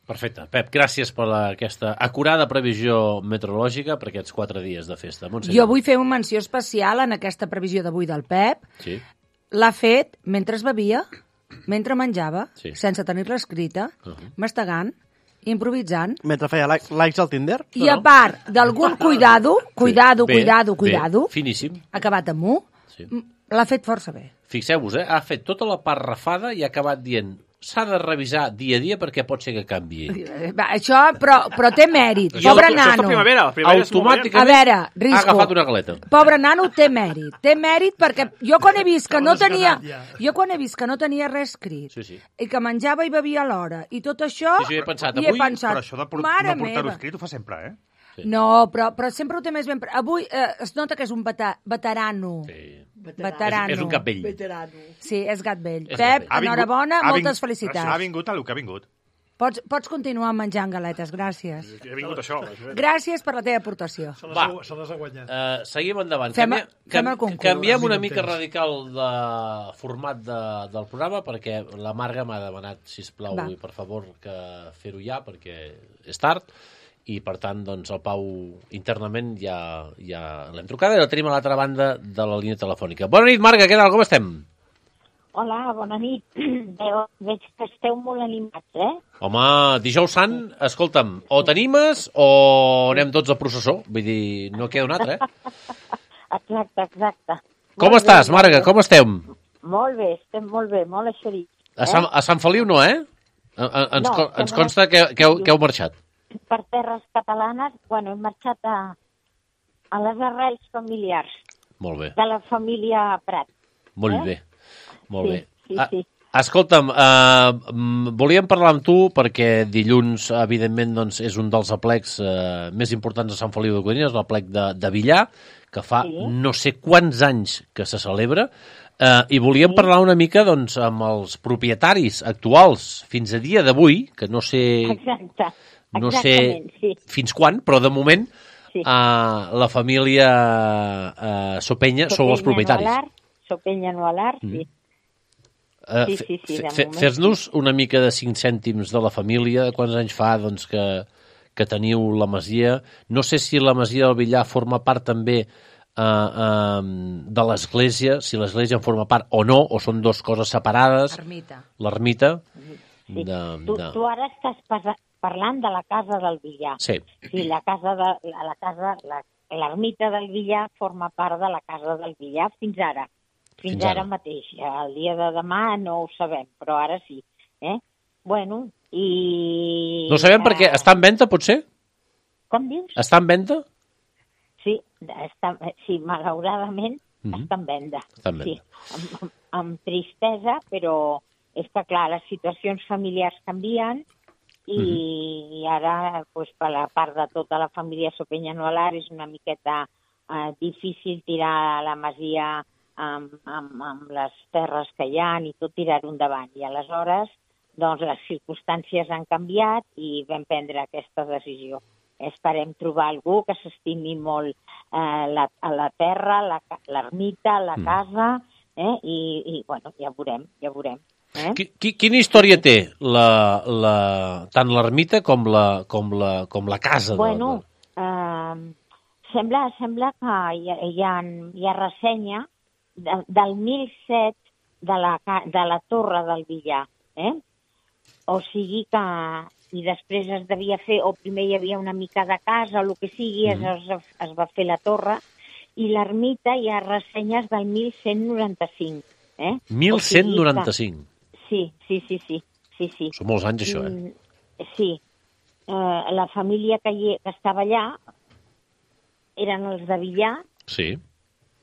Perfecte. Pep, gràcies per aquesta acurada previsió meteorològica per aquests 4 dies de festa. Montserrat. Jo vull fer una menció especial en aquesta previsió d'avui del Pep. Sí. L'ha fet mentre es bevia, mentre menjava, sense tenir-la escrita, mastegant, improvisant. Mentre feia likes al Tinder. I a part d'algun cuidado, finíssim. acabat amb 1, l'ha fet força bé. Fixeu-vos, ha fet tota la parrafada i ha acabat dient s'ha de revisar dia a dia perquè pot ser que canvi. Va, això, però té mèrit. Pobre nano. Això és la primavera. Automàticament a veure, ha agafat una galeta. Pobre nano té mèrit. Té mèrit perquè jo quan he vist que no tenia... Jo quan he vist que no tenia res escrit i que menjava i bevia a l'hora i tot això... Sí, he pensat, però això de no portar-ho escrit ho fa sempre, eh? Sí. No, però sempre ho té més ben... Avui es nota que és un veterano. Sí. Veterano. És un gat vell. Veterano. Sí, és gat vell. Pep, enhorabona, moltes felicitats. Ha vingut el que ha vingut. Pots continuar menjant galetes, gràcies. Ha vingut això. Gràcies per la teva aportació. Se les ha guanyat. Seguim endavant. Fem el concurs. Canviem una mica radical de format del programa perquè la Marga m'ha demanat, sisplau, i per favor, que fer-ho ja perquè és tard. I, per tant, doncs, el Pau internament ja l'hem trucada i la tenim a l'altra banda de la línia telefònica. Bona nit, Marga, què tal? Com estem? Hola, bona nit. Veig que esteu molt animats, eh? Home, dijous sant, escolta'm, o t'animes o anem tots a processó. Vull dir, no queda un altre, Exacte. Com estàs, Marga? Com estem? Molt bé, estem molt bé, molt eixerits. A Sant Feliu no, eh? Ens consta que heu marxat. Per terres catalanes, hem marxat a les arrels familiars. Molt bé. De la família Prat. Molt bé. Sí. Escolta'm, volíem parlar amb tu perquè dilluns, evidentment, doncs, és un dels aplecs més importants de Sant Feliu de Codines, l'aplec de Villar, que fa no sé quants anys que se celebra, i volíem parlar una mica doncs, amb els propietaris actuals fins a dia d'avui, que no sé... No sé fins quan, però de moment la família Sopenya sou els propietaris. Sopenya Nualar, sí. Fes-nos una mica de 5 cèntims de la família, quants anys fa doncs, que teniu la masia. No sé si la masia del Villar forma part també de l'església, si l'església en forma part o no, o són dues coses separades. L'ermita. Tu ara estàs parlant de la casa del Villar. Sí. Sí, l'ermita del Villar forma part de la casa del Villar fins ara. Fins ara mateix. El dia de demà no ho sabem, però ara sí. Bueno, i... No sabem perquè està en venda, potser? Com dius? Està en venda? Sí, malauradament està en venda. Sí, amb tristesa, però és que, clar, les situacions familiars canvien i ara, per la part de tota la família Sopenya Nualar, és una miqueta difícil tirar la masia amb les terres que hi ha i tot tirar-ho endavant. I aleshores, doncs, les circumstàncies han canviat i vam prendre aquesta decisió. Esperem trobar algú que s'estimi molt la terra, l'ermita, la casa, i bueno, ja veurem. Quina història té tant l'ermita com la casa? Bueno, sembla que hi ha ressenya del 1007 de la torre del Villar, O sigui que... I després es devia fer, o primer hi havia una mica de casa, o el que sigui, es va fer la torre, i l'ermita hi ha ressenyes del 1195. 1195? Sí. Són molts anys, això, Sí. La família que estava allà eren els de Villar. Sí.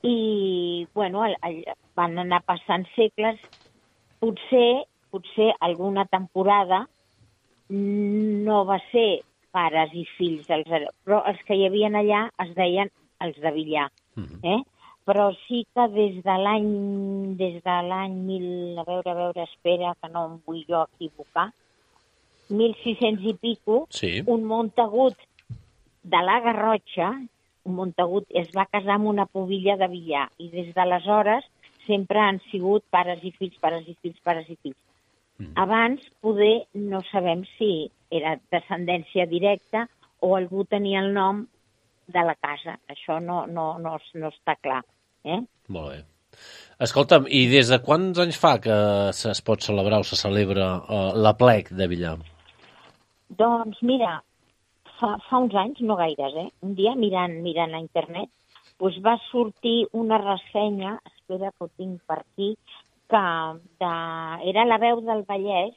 I, bueno, van anar passant segles. Potser alguna temporada no va ser pares i fills, però els que hi havia allà es deien els de Villar. Però sí que des de l'any 1000, a veure, espera, que no em vull jo equivocar, 1600 i pico, un Montagut de la Garrotxa, un Montagut es va casar amb una pubilla de Villar, i des d'aleshores sempre han sigut pares i fills. Abans, poder, no sabem si era descendència directa o algú tenia el nom de la casa. Això no està clar. Molt bé. Escolta'm, i des de quants anys fa que es pot celebrar o se celebra l'aplec de Villar? Doncs mira, fa uns anys, no gaires, un dia mirant a internet, doncs va sortir una ressenya, espera que ho tinc per aquí, que era La Veu del Vallès,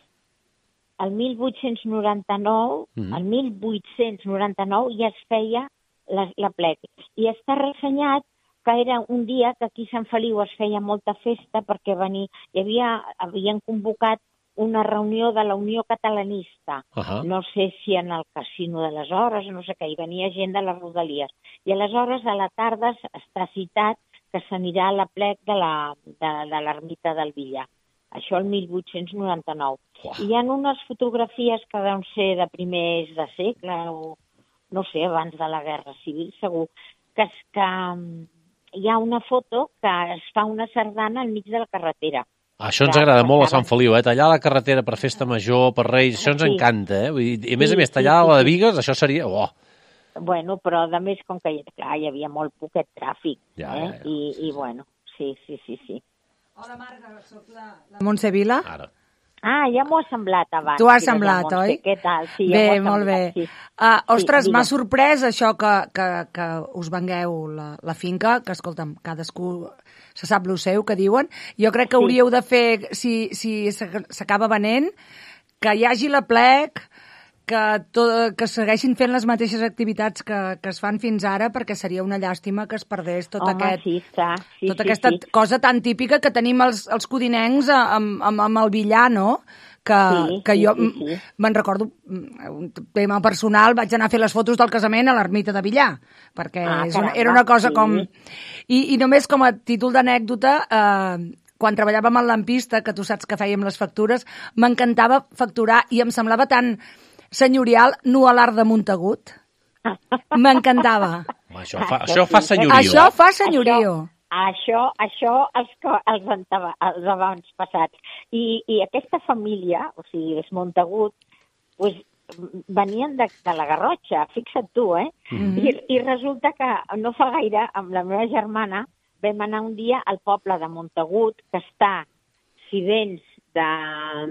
el 1899, el 1899 ja es feia l'aplec. I està ressenyat que era un dia que aquí a Sant Feliu es feia molta festa perquè havien convocat una reunió de la Unió Catalanista. No sé si en el casino de les Hores, no sé què, hi venia gent de les Rodalies. I aleshores a la tarda està citat que s'anirà a l'aplec de l'ermita del Villar. Això el 1899. I hi ha unes fotografies que deuen ser de primers de segle, o no sé, abans de la Guerra Civil, segur, que hi ha una foto que es fa una sardana al mig de la carretera. Això ens agrada molt a Sant Feliu, tallar la carretera per festa major, per Reis, això ens encanta, I a més, tallar la de Bigues, això seria... Bueno, però a més, com que hi havia molt poquet tràfic, i bueno, sí. Hola, Marga, soc la Montse Vila. Ara. Ja m'ho ha semblat abans. T'ho ha semblat, oi? Què tal? Sí, bé, molt bé. Sí. Ostres, m'ha sorprès això que us vengueu la finca, que, escolta'm, cadascú se sap lo seu, que diuen. Jo crec que hauríeu de fer, si s'acaba venent, que hi hagi l'aplec, que segueixin fent les mateixes activitats que es fan fins ara, perquè seria una llàstima que es perdés tota aquesta cosa tan típica que tenim els codinencs amb el billar, no? Que jo me'n recordo, un tema personal, vaig anar a fer les fotos del casament a l'ermita de Villar, perquè era una cosa com... I només com a títol d'anècdota, quan treballàvem en Lampista, que tu saps que fèiem les factures, m'encantava facturar i em semblava tan senyorial Nualar de Montagut. M'encantava. Això fa senyorio. Això fa senyorio. Això els abans passats. I aquesta família, o sigui, és Montagut, pues, venien de la Garrotxa, fixa't tu, I resulta que no fa gaire, amb la meva germana, vam anar un dia al poble de Montagut, que està, si vens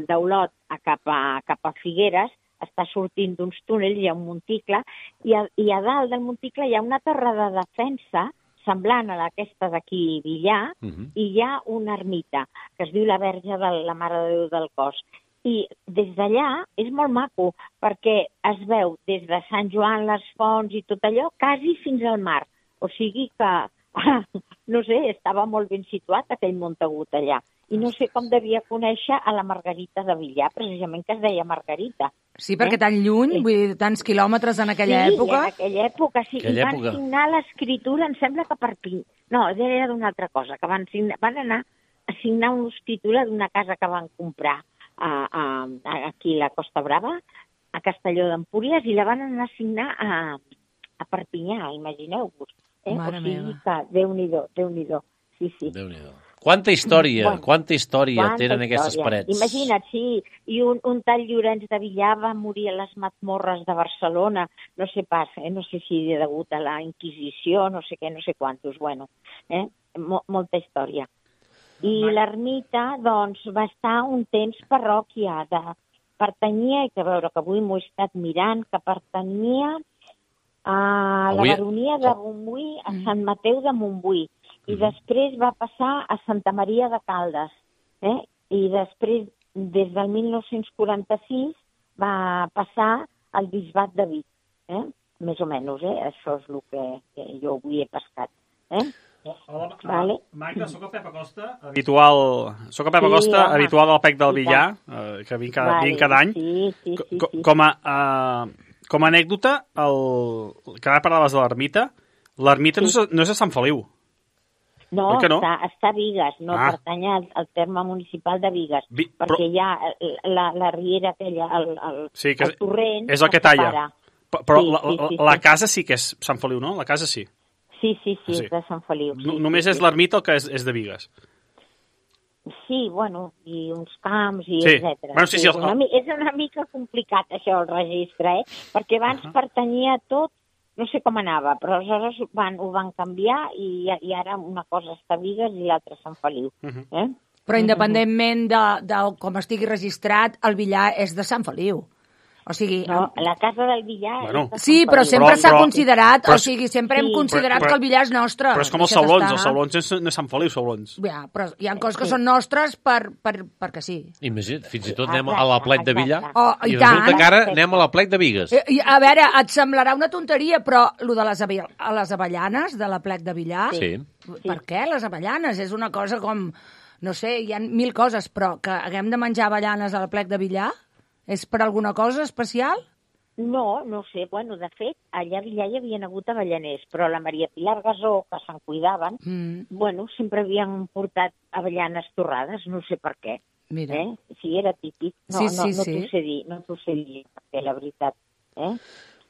d'Olot cap a Figueres, està sortint d'uns túnels, hi ha un monticle, i a dalt del monticle hi ha una torre de defensa semblant a aquesta d'aquí Villar, i hi ha una ermita, que es diu la Verge de la Mare de Déu del Cos. I des d'allà és molt maco, perquè es veu des de Sant Joan, les Fonts i tot allò, quasi fins al mar. O sigui que, no sé, estava molt ben situat aquell Montagut allà. I no sé com devia conèixer a la Margarita de Villar, precisament que es deia Margarita. Sí, perquè tan lluny, vull dir, tants quilòmetres en aquella època. Sí, en aquella època, sí. I van signar l'escriptura, em sembla que per Piny. No, era d'una altra cosa, que van anar a signar una escriptura d'una casa que van comprar aquí a la Costa Brava, a Castelló d'Empúries, i la van anar a signar a Perpinyà, imagineu-vos. Mare o sigui meva. que Déu-n'hi-do. Sí. Déu-n'hi-do. Quanta història tenen aquestes parets. Imagina't, sí. I un tal Llorenç de Villar va morir a les Matmorres de Barcelona, no sé pas, no sé si degut a la Inquisició, no sé què, no sé quantos, bueno, molta història. I l'ermita, doncs, va estar un temps parròquia, pertanyia, i que veure que avui m'ho he estat mirant, que pertanyia a la baronia de Montbui, a Sant Mateu de Montbui. I després va passar a Santa Maria de Caldes. I després, des del 1946, va passar al Bisbat de Vic. Més o menys, això és el que jo avui he pescat. Hola, Magda, soc el Pep Acosta, habitual del PEC del Villar, que vinc cada any. Com a anècdota, que ara parlaves de l'ermita no és a Sant Feliu. No, està a Bigues, no pertany al terme municipal de Bigues, perquè hi ha la riera aquella, el torrent... És el que talla. Però la casa sí que és Sant Feliu, no? La casa sí. Sí, és de Sant Feliu. Només és l'ermita el que és de Bigues. Sí, bueno, i uns camps, i etcètera. Bueno, sí. És una mica complicat, això, el registre, perquè abans pertanyia tot. No sé com anava, però aleshores ho van canviar i ara una cosa està a Bigues i l'altra a Sant Feliu. Però independentment de com estigui registrat, el Villar és de Sant Feliu. O sigui... No, la casa del billar... Bueno. Sí, però sempre s'ha considerat, però- o sigui, sempre hem considerat però- que el billar és nostre. Però és com els Deixa't sablons, estar. els sablons no és Sant Feliu, sablons. Ja, però hi ha coses que són nostres perquè sí. Imagina't, fins i tot anem a la plec de Villar Oh, i i resulta tant. que ara anem a la plec de Bigues. I, a veure, et semblarà una tonteria, però lo de les avellanes de la plec de Villar, Sí. per què les avellanes? És una cosa com, no sé, hi ha 1000 coses, però que haguem de menjar avellanes a la plec de Villar és per alguna cosa especial? No, no sé. Bueno, de fet, allà a Villar hi havien hagut avellaners, però la Maria Pilar Gasó, que se'n cuidaven, bueno, sempre havien portat avellanes torrades, no sé per què. Mira. Sí, era típic. No, Sí, no, sí, no sí. t'ho sé dir, perquè la veritat.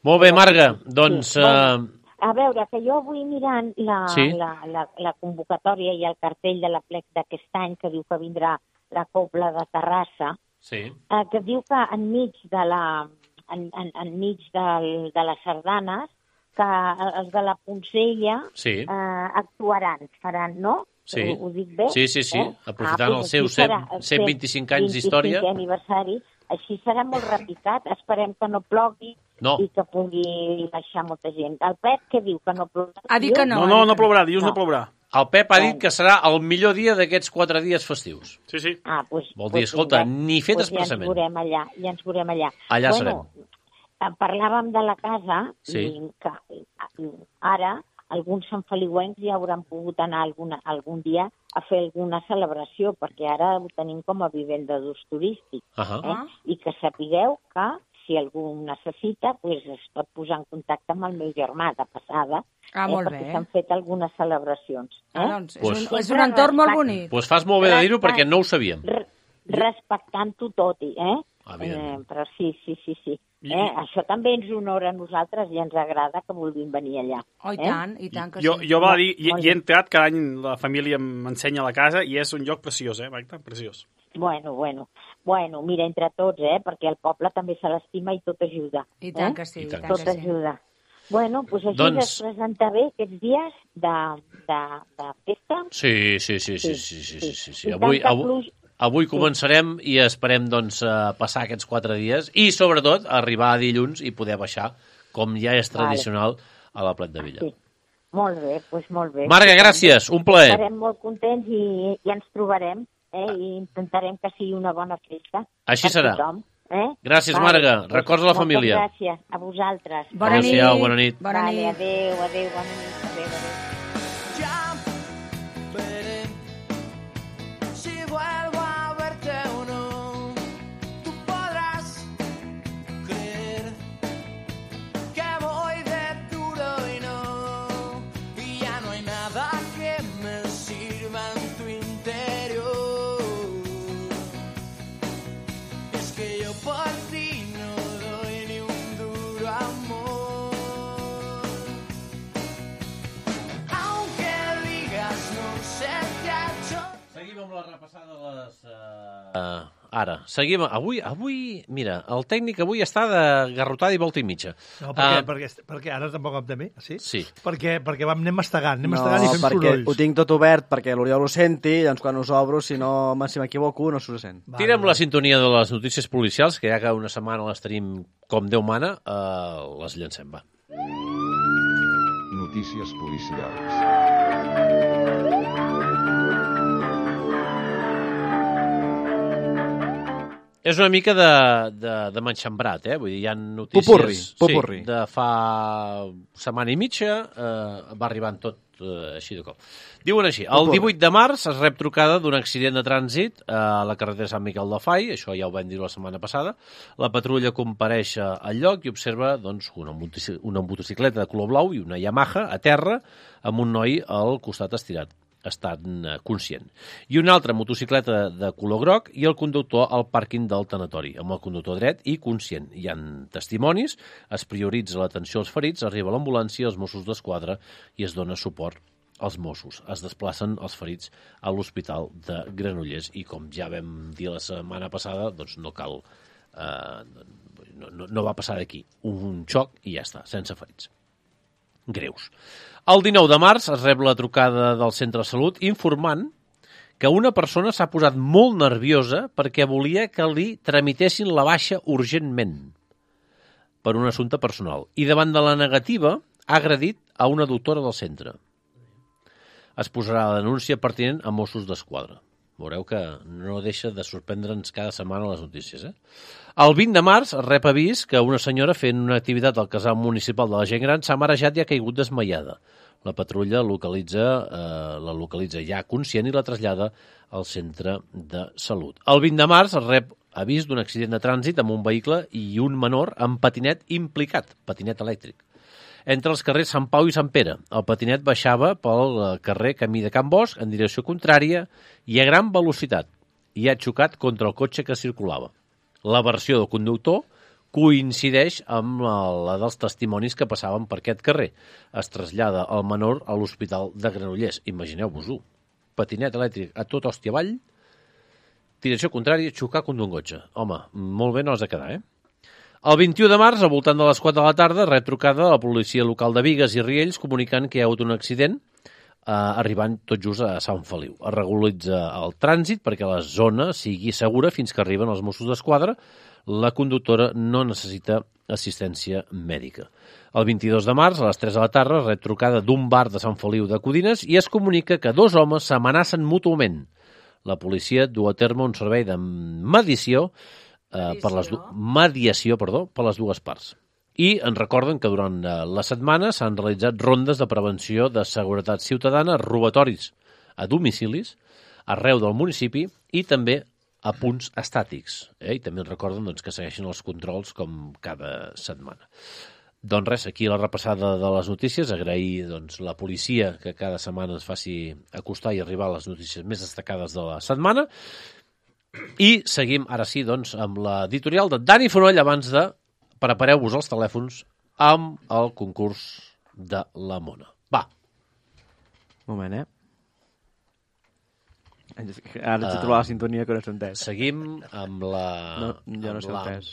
Molt bé, Marga, doncs... Sí, bueno, a veure, que jo avui mirant Sí. la convocatòria i el cartell de la plec d'aquest any, que diu que vindrà la Cobla de Terrassa, Sí. que diu que enmig de les sardanes, que els de la Poncella Sí. actuaran, faran, no? Sí. Ho dic bé? Sí, sí, sí. Aprofitant el doncs seu així serà, 125 anys d'història. 25è aniversari. Així serà molt repicat. Esperem que no plogui No. i que pugui baixar molta gent. El Pep, què diu? Que no plourà? Ha dit que no. No plourà, dilluns no plourà. El Pep ha dit que serà el millor dia d'aquests 4 dies festius. Sí, sí. Pues, Vol dir, escolta, ni fet Ja expressament. ens veurem allà. Allà bueno, parlàvem de la casa Sí. i que ara alguns sanfeliuencs ja hauran pogut anar algun dia a fer alguna celebració, perquè ara ho tenim com a vivenda d'ús turístic. I que sapigueu que si algú ho necessita, pues es pot posar en contacte amb el meu germà de passada, molt perquè bé. s'han fet algunes celebracions. Doncs és un entorn molt bonic. Doncs fas molt bé de dir-ho perquè no ho sabíem. Respectant-ho tot, Evidentment. però sí. Això també ens honora a nosaltres i ens agrada que vulguin venir allà. Oh, i tant que Jo sí. va dir, hi he entrat, cada any la família m'ensenya la casa i és un lloc preciós, Magda? Preciós. Bueno, mira, entre tots, perquè el poble també se l'estima i tot ajuda. I tant que sí, i tant Tot que sí. ajuda. Bueno, doncs així Doncs- es presenta bé aquests dies de festa. Sí. I tanta pluja. Avui començarem i esperem doncs, passar aquests 4 dies i, sobretot, arribar a dilluns i poder baixar, com ja és tradicional, a la Plet de Villar. Sí. Molt bé, doncs molt bé. Marga, gràcies, un plaer. Estarem molt contents i ens trobarem i intentarem que sigui una bona festa. Així per serà. tothom, Gràcies, Marga. Records a la família. Moltes gràcies a vosaltres. Bona nit. Adéu-siau, bona nit. Bona nit. Adéu, bona nit. Adéu. Veré si vuelvo a verte o no. Tú podrás creer que voy de duro y no. Y ya no hay nada que me sirva en tu interior. Es que yo por ti no doy ni un duro amor. Aunque digas no se te ha hecho. Seguim amb la repassada de les... Ara, seguim... Avui, mira, el tècnic avui està de garrotada i volta i mitja. No, perquè ara tampoc em temé, sí? Sí. Perquè anem mastegant i fem perquè sorolls. ho tinc tot obert perquè l'Oriol ho senti, doncs quan us obro, si m'equivoco, no s'ho sent. Tira'm la sintonia de les notícies policials, que ja que una setmana les tenim com Déu mana, les llancem, va. Notícies policials. És una mica de manxambrat, Vull dir, hi ha notícies... Popurri. Sí, de fa setmana i mitja, va arribant tot així de cop. Diuen així, el 18 de març es rep trucada d'un accident de trànsit a la carretera Sant Miquel del Fai, això ja ho vam dir la setmana passada. La patrulla compareix al lloc i observa doncs, una motocicleta de color blau i una Yamaha a terra amb un noi al costat estirat. Estan conscient. I una altra motocicleta de color groc i el conductor al pàrquing del tanatori, amb el conductor dret i conscient. Hi ha testimonis, es prioritza l'atenció als ferits, arriba l'ambulància, els Mossos d'Esquadra i es dona suport als Mossos. Es desplacen els ferits a l'Hospital de Granollers i, com ja vam dir la setmana passada, doncs no cal... no va passar d'aquí. Un xoc i ja està, sense ferits greus. El 19 de març es rep la trucada del centre de salut informant que una persona s'ha posat molt nerviosa perquè volia que li tramitessin la baixa urgentment. per un assumpte personal i davant de la negativa ha agredit a una doctora del centre. Es posarà la denúncia pertinent a Mossos d'Esquadra. Veureu que no deixa de sorprendre'ns cada setmana les notícies. El 20 de març rep avís que una senyora fent una activitat al casal municipal de la gent gran s'ha marejat i ha caigut desmaiada. La patrulla la localitza ja conscient i la trasllada al centre de salut. El 20 de març rep avís d'un accident de trànsit amb un vehicle i un menor amb patinet implicat, patinet elèctric. Entre els carrers Sant Pau i Sant Pere, el patinet baixava pel carrer Camí de Can Bosch en direcció contrària i a gran velocitat i ha xocat contra el cotxe que circulava. La versió del conductor coincideix amb la dels testimonis que passaven per aquest carrer. Es trasllada el menor a l'Hospital de Granollers. Imagineu-vos-ho. Patinet elèctric a tot hòstia avall, direcció contrària, xocar contra un cotxe. Home, molt bé no has de quedar, El 21 de març, al voltant de les 4 de la tarda, rep trucada a la policia local de Bigues i Riells comunicant que hi ha hagut un accident arribant tot just a Sant Feliu. Es regularitza el trànsit perquè la zona sigui segura fins que arriben els Mossos d'Esquadra. La conductora no necessita assistència mèdica. El 22 de març, a les 3 de la tarda, rep trucada d'un bar de Sant Feliu de Codines i es comunica que 2 homes s'amenacen mútuament. La policia du a terme un servei de mediació per les dues parts. I ens recorden que durant la setmana s'han realitzat rondes de prevenció de seguretat ciutadana, robatoris a domicilis, arreu del municipi i també a punts estàtics. I també ens recorden que segueixen els controls com cada setmana. Doncs res, aquí la repassada de les notícies. Agrair la policia que cada setmana ens faci acostar i arribar a les notícies més destacades de la setmana. I seguim, ara sí, amb l'editorial de Dani Fonoll abans de prepareu-vos els telèfons amb el concurs de la Mona. Va. Un moment, Ara ets a trobar la sintonia que no s'ha entès. Seguim amb la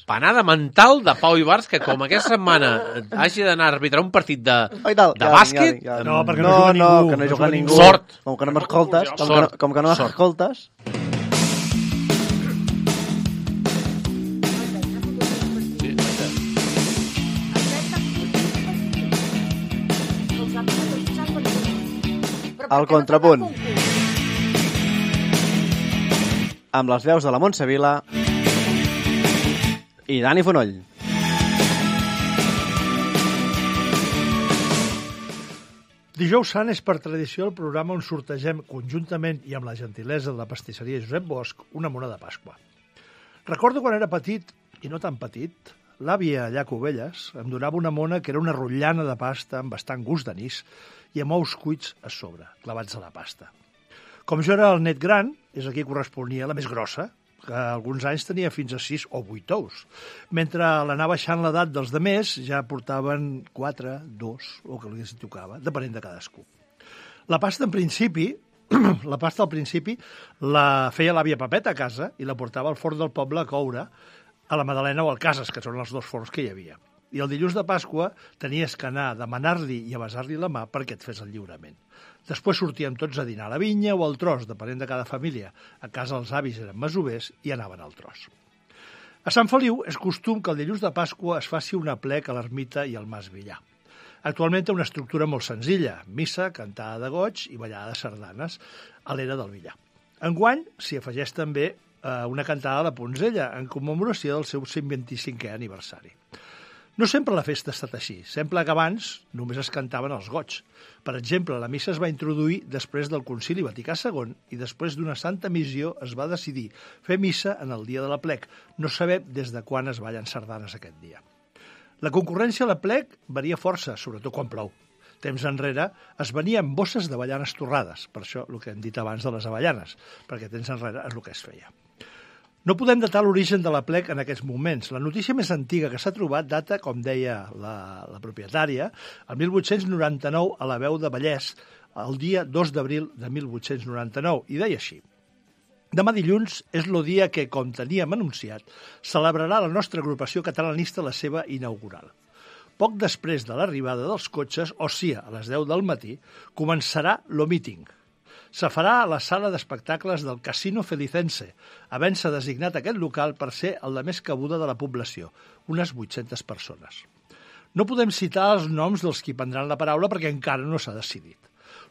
panada mental de Pau Ibars, que com aquesta setmana hagi d'anar a arbitrar un partit de bàsquet... No, perquè no juga ningú. Que no juga ningú. Sort. Com que no m'escoltes. Com que no m'escoltes... El contrapunt. Amb les veus de la Montse Vila i Dani Fonoll. Dijous Sant és per tradició el programa on sortegem conjuntament i amb la gentilesa de la pastisseria Josep Bosch una mona de Pasqua. Recordo quan era petit, i no tan petit, l'àvia allà a Cubelles em donava una mona que era una rotllana de pasta amb bastant gust d'anís i amb ous cuits a sobre, clavats a la pasta. Com jo era el net gran, és aquí corresponia la més grossa, que alguns anys tenia fins a 6 o 8 ous. Mentre l'anar baixant l'edat dels demés, ja portaven 4, 2, o que li tocava, depenent de cadascú. La pasta, al principi, la feia l'àvia Pepeta a casa i la portava al forn del poble a coure, a la Madalena o al Cases, que són els 2 forns que hi havia. I el dilluns de Pasqua tenies que anar a demanar-li i a besar-li la mà perquè et fes el lliurament. Després sortíem tots a dinar a la vinya o al tros, depenent de cada família. A casa els avis eren masovers i anaven al tros. A Sant Feliu és costum que el dilluns de Pasqua es faci un aplec a l'ermita i al Mas Villar. Actualment té una estructura molt senzilla, missa, cantada de goig i ballada de sardanes a l'era del Villar. Enguany s'hi afegeix també una cantada de Ponzella en commemoració del seu 125è aniversari. No sempre la festa ha estat així. Sembla que abans només es cantaven els goigs. Per exemple, la missa es va introduir després del Concili Vaticà II i després d'una santa missió es va decidir fer missa en el dia de l'aplec. No sabem des de quan es ballen sardanes aquest dia. La concurrència a l'aplec varia força, sobretot quan plou. Temps enrere es venien bosses d'avellanes torrades, per això el que hem dit abans de les avellanes, perquè temps enrere és el que es feia. No podem datar l'origen de l'aplec en aquests moments. La notícia més antiga que s'ha trobat data, com deia la propietària, el 1899 a la Veu de Vallès, el dia 2 d'abril de 1899, i deia així: demà dilluns és el dia que, com teníem anunciat, celebrarà la nostra agrupació catalanista la seva inaugural. Poc després de l'arribada dels cotxes, o sigui, a les 10 del matí, començarà lo míting. Se farà a la sala d'espectacles del Casino Felicense, havent-se designat aquest local per ser el de més cabuda de la població, unes 800 persones. No podem citar els noms dels qui prendran la paraula perquè encara no s'ha decidit.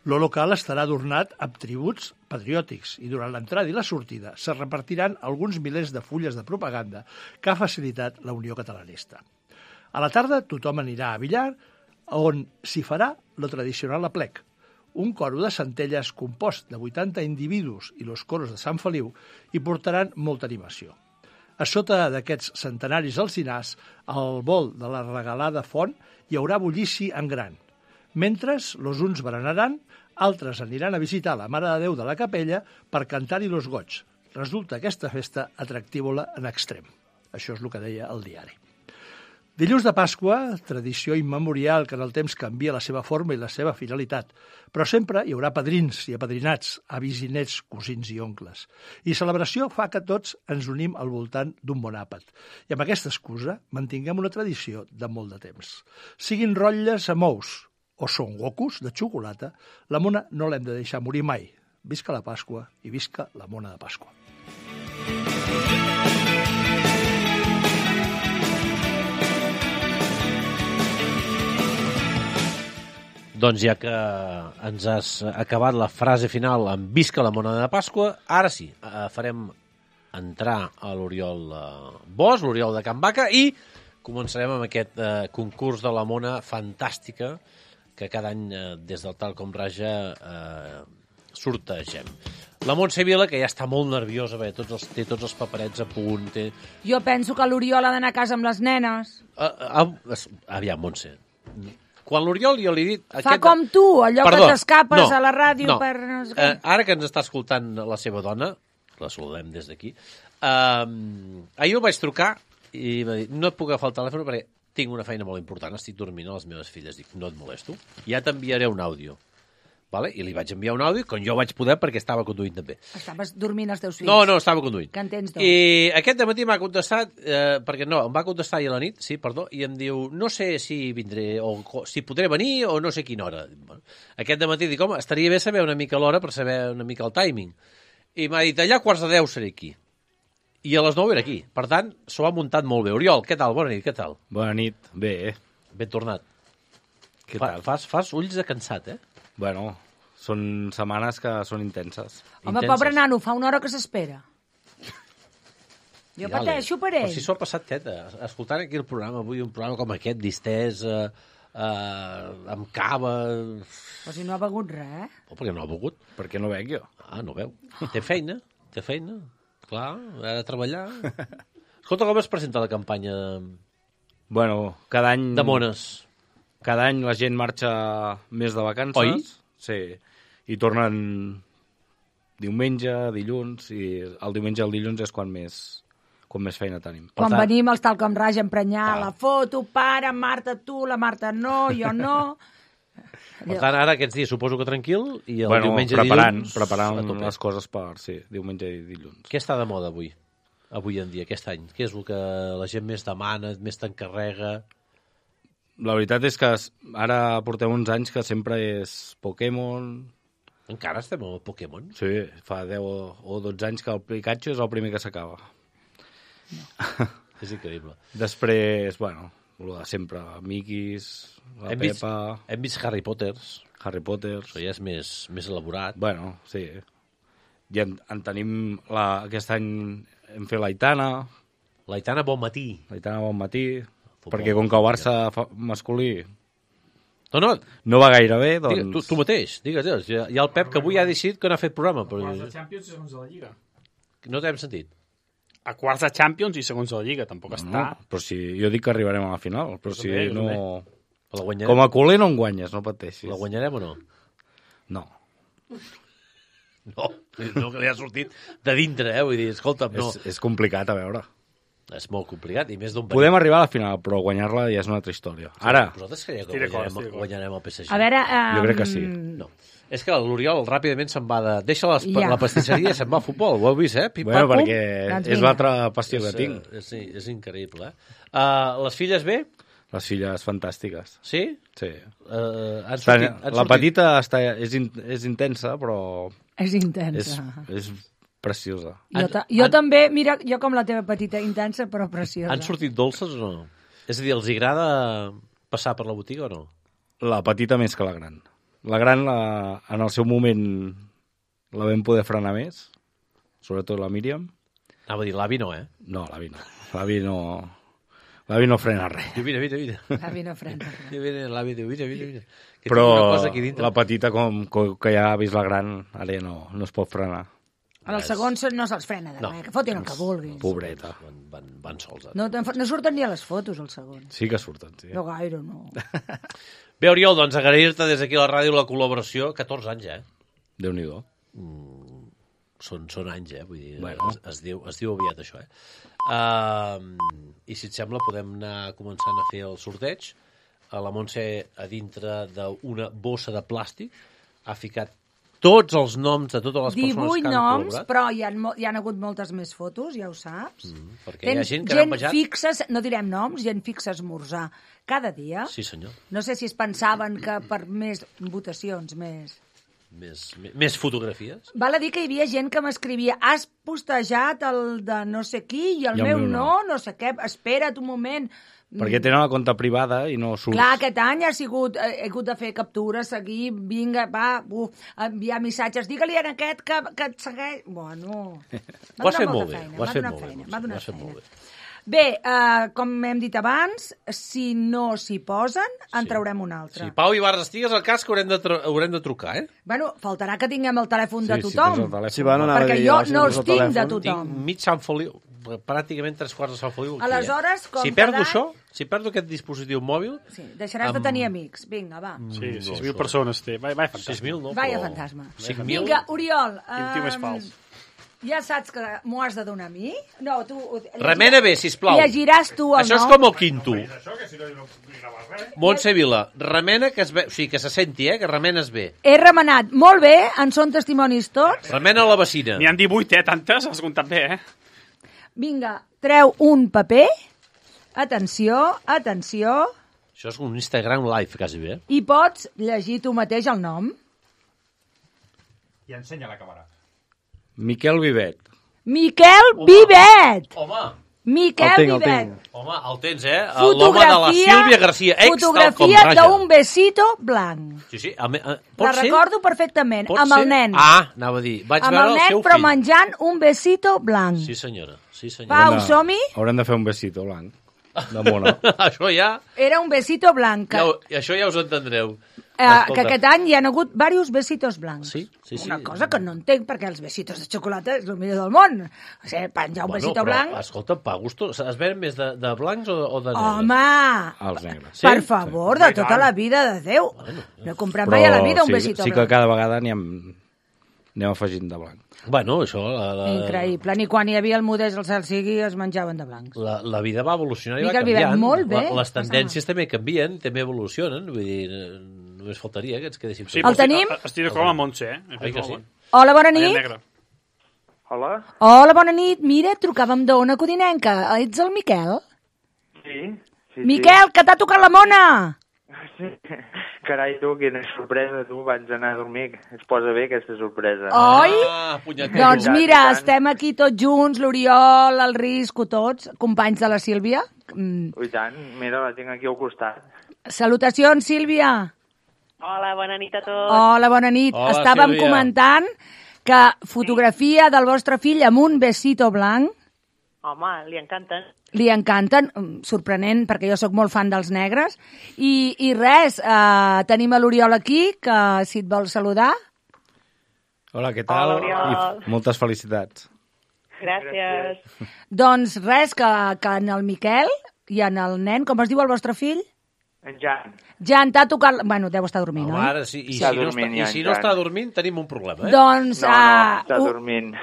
Lo local estarà adornat amb tributs patriòtics i durant l'entrada i la sortida se repartiran alguns milers de fulles de propaganda que ha facilitat la Unió Catalanista. A la tarda tothom anirà a Villar, on s'hi farà lo tradicional aplec, un coro de Centelles compost de 80 individus i los coros de Sant Feliu hi portaran molta animació. A sota d'aquests centenaris alzinars, al vol de la regalada font, hi haurà bullici en gran. Mentre los uns berenaran, altres aniran a visitar la Mare de Déu de la Capella per cantar-hi los goig. Resulta aquesta festa atractívola en extrem. Això és el que deia el diari. Dilluns de Pasqua, tradició immemorial que en el temps canvia la seva forma i la seva finalitat, però sempre hi haurà padrins i apadrinats, avis i nets, cosins i oncles. I celebració fa que tots ens unim al voltant d'un bon àpat. I amb aquesta excusa mantinguem una tradició de molt de temps. Siguin rotlles amb ous o són gocos de xocolata, la mona no l'hem de deixar morir mai. Visca la Pasqua i visca la mona de Pasqua. Doncs ja que ens has acabat la frase final amb visca la mona de Pasqua, ara sí, farem entrar a l'Oriol Bosch, l'Oriol de Can Baca, i començarem amb aquest concurs de la mona fantàstica que cada any des del Tal com Raja sortegem. La Montse Vila, que ja està molt nerviosa, té tots els paperets a punt. Jo penso que l'Oriol ha d'anar a casa amb les nenes. Aviam, Montse. Quan l'Oriol jo li he dit... Fa com tu, allò que t'escapes a la ràdio per... Ara que ens està escoltant la seva dona, la saludem des d'aquí, ahir el vaig trucar i va dir, no et puc agafar el telèfon perquè tinc una feina molt important, estic dormint a les meves filles. Dic, no et molesto, ja t'enviaré un àudio. Vale? I li vaig enviar un àudio, quan jo vaig poder, perquè estava conduint també. Estaves dormint els teus fills? No, estava conduint. Que en tens dos. I aquest dematí m'ha contestat, perquè no, em va contestar ahir a la nit, sí, perdó, i em diu, no sé si vindré, o si podré venir, o no sé quina hora. Bueno, aquest dematí dic, home, estaria bé saber una mica l'hora per saber una mica el timing. I m'ha dit, allà a 9:15 seré aquí. I a les 9 era aquí. Per tant, s'ho ha muntat molt bé. Oriol, què tal? Bona nit, què tal? Bona nit, bé. Ben tornat. Què tal? Fas ulls de cansat, Bueno, són setmanes que són intenses. Home, pobre nano, fa una hora que s'espera. Jo pateixo per ell. Però si s'ho ha passat teta. Escoltant aquí el programa avui, un programa com aquest, distès, amb cava... Però si no ha begut res, Per què no ha begut? Perquè no bec jo. Ah, no veu. Té feina. Clar, ha de treballar. Escolta, com es presenta la campanya Bueno, cada any... de mones? Cada any la gent marxa més de vacances. Oi? Sí. I tornen diumenge, dilluns, i el diumenge i el dilluns és quan més feina tenim. Quan venim els Tal com Raja a emprenyar la foto, para, Marta, tu, la Marta no, jo no... Per tant, ara aquests dies suposo que tranquil, i el diumenge i dilluns... Preparant les coses per, diumenge i dilluns. Què està de moda avui en dia, aquest any? Què és el que la gent més demana, més t'encarrega? La veritat és que ara portem uns anys que sempre és Pokémon. Encara estem amb el Pokémon? Sí, fa 10 o 12 anys que el Pikachu és el primer que s'acaba. No. És increïble. Després, bueno, el de sempre, Miquis, la Pepa... Hem vist Harry Potter. Això ja és més elaborat. Bueno, sí. I en tenim... Aquest any hem fet l'Aitana. L'Aitana Bon Matí. Futbol, perquè com que el Barça masculí no va gaire bé, doncs... Digues, tu mateix, digues. Hi ha el Pep que avui ha decidit que no ha fet programa. Quarts de Champions i segons de la Lliga. No t'hem sentit. A quarts de Champions i segons de la Lliga, tampoc està... Però si jo dic que arribarem a la final, però si no... Com a culer no en guanyes, no pateixis. La guanyarem o no? No. No, que li ha sortit de dintre, Vull dir, escolta'm, no... És complicat, a veure. És molt complicat, i més d'un... Podem arribar a la final, però guanyar-la ja és una altra història. Ara... Vosaltres creieu que guanyarem el PSG? A veure... Jo crec que sí. No. És que l'Oriol ràpidament se'n va de... Deixa la pastisseria i se'n va a futbol. Ho heu vist, Bueno, perquè és l'altra passió que tinc. Sí, és increïble, Les filles bé? Les filles fantàstiques. Sí? Sí. La petita és intensa, però... És intensa. És preciosa. Jo també, mira, jo com la teva petita, intensa però preciosa. Han sortit dolces o no? És a dir, els agrada passar per la botiga o no? La petita més que la gran. La gran, en el seu moment, la vam poder frenar més, sobretot la Míriam. Anava a dir, l'avi no, No, l'avi no. L'avi no frena res. Diu, mira. L'avi no frena res. L'avi diu, mira. Però la petita, com que ja ha vist la gran, ara ja no es pot frenar. En els segons no se'ls frena de res, que fotin el que vulguin. Pobreta. Van sols. No surten ni a les fotos, els segons. Sí que surten, sí. No gaire, no. Bé, Oriol, doncs agrair-te des d'aquí a la ràdio la col·laboració. 14 anys, Déu-n'hi-do. Són anys, vull dir, bueno. es diu aviat això, I si et sembla podem anar començant a fer el sorteig. La Montse, a dintre d'una bossa de plàstic, ha ficat tots els noms de totes les persones que han 18 noms, col·laborat. però hi ha hagut moltes més fotos, ja ho saps. Perquè hi ha gent que n'ha penjat. Fixes, no direm noms, gent fixa a esmorzar cada dia. Sí, senyor. No sé si es pensaven que per més votacions, Més fotografies? Val a dir que hi havia gent que m'escrivia has postejat el de no sé qui i el meu no sé què, espera't un moment. Perquè tenen la compte privada i no surts. Clar, aquest any he hagut de fer captures, seguir, vinga, enviar missatges, digue-li a aquest que et segueix... Bueno, ho has fet molt bé. M'ha donat feina. Bé, com hem dit abans, si no s'hi posen, en traurem un altre. Sí, Pau Ibarra, estigues al cas que haurem de trucar, Bueno, faltarà que tinguem el telèfon de tothom. Perquè jo no els tinc de tothom. Tinc mig Sant Feliu, pràcticament 3/4 de Sant Feliu. Aleshores, com si perdo això, si perdo aquest dispositiu mòbil... Sí, deixaràs de tenir amics. Vinga, va. Sí, 6.000 persones té. Vai fantasma. 6.000 no, Vaya fantasma. 5.000... Vinga, Oriol. Quin tio més fals. Ja saps que m'ho has de donar a mi? No, tu... Remena bé, sisplau. Llegiràs tu el nom. Això és com el quinto. Montse Vila, remena que se senti, que remenes bé. He remenat molt bé, en són testimonis tots. Remena la vecina. N'hi han 18, tantes, has comptat bé, Vinga, treu un paper. Atenció. Això és un Instagram live, quasi bé. I pots llegir tu mateix el nom. I ensenya la càmera. Miquel Vivet. Vivet! Home! Miquel Vivet. Home, el tens, l'home de la Sílvia García. Fotografia d'un besito blanc. Sí. La recordo perfectament, amb el nen. Anava a dir, vaig veure el seu fill. Amb el nen, però menjant un besito blanc. Sí, senyora. Pau, som-hi? Haurem de fer un besito blanc. De mona. Això ja... Era un besito blanc. Això ja us entendreu. Que aquest any hi ha hagut diversos besitos blancs. Sí. Una cosa que no entenc, perquè els besitos de xocolata és el millor del món. O sigui, penjar un besito blanc... Escolta, pa gusto, es ven més de blancs o de negres? Home! Els negres. Per favor, de tota la vida de Déu. No he comprat mai a la vida un besito blanc. Sí que cada vegada anem afegint de blanc. Bueno, això... Increïble. Ni quan hi havia el Modest al cel sigui es menjaven de blancs. La vida va evolucionar i va canviant. canviant. Molt bé. Les tendències també canvien, també evolucionen. Vull dir, només faltaria que ens quedéssim... Sí, el tenim? Estic d'acord amb Montse, Oi que sí? Hola, bona nit. Hola, bona nit. Mira, trucàvem d'Ona Codinenca. Ets el Miquel? Sí. Miquel, que t'ha tocat la mona! Sí. Carai, tu, quina sorpresa, tu. Vaig anar a dormir. Es posa bé, aquesta sorpresa. Oi? Punyetero. Doncs mira, estem aquí tots junts, l'Oriol, el Risco, tots, companys de la Sílvia. I tant, mira, la tinc aquí al costat. Salutacions, Sílvia. Hola, bona nit a tots. Hola, bona nit. Hola, estàvem Sílvia. Comentant que fotografia del vostre fill amb un besito blanc. Home, li encanten. Li encanten, sorprenent, perquè jo sóc molt fan dels negres. I res, tenim a l'Oriol aquí, que si et vol saludar. Hola, què tal? Hola, Oriol. I moltes felicitats. Gràcies. Doncs res, que en el Miquel i en el nen, com es diu el vostre fill? En Jan. Jan t'ha tocat... Bueno, deu estar dormint, oi? Ara, sí. I si no està dormint, tenim un problema, Doncs... No, està dormint.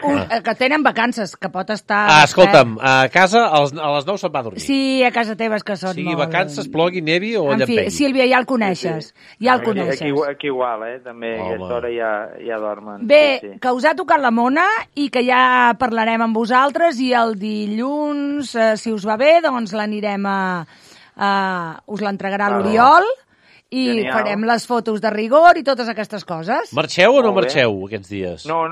Que tenen vacances, que pot estar... Escolta'm, a casa a les 9 se'n va a dormir. Sí, a casa teva és que són Sigui molt... vacances, plogui, nevi o En fi, llampegui. Sílvia, ja el coneixes. Ja el coneixes. Aquí igual, també. A aquesta hora ja dormen. Bé, Sí. que us ha tocat la mona i que ja parlarem amb vosaltres i el dilluns, si us va bé, doncs l'anirem a us l'entregarà l'Oriol i Genial. farem les fotos de rigor i totes aquestes coses. Marxeu o no Molt bé. marxeu aquests dies? No,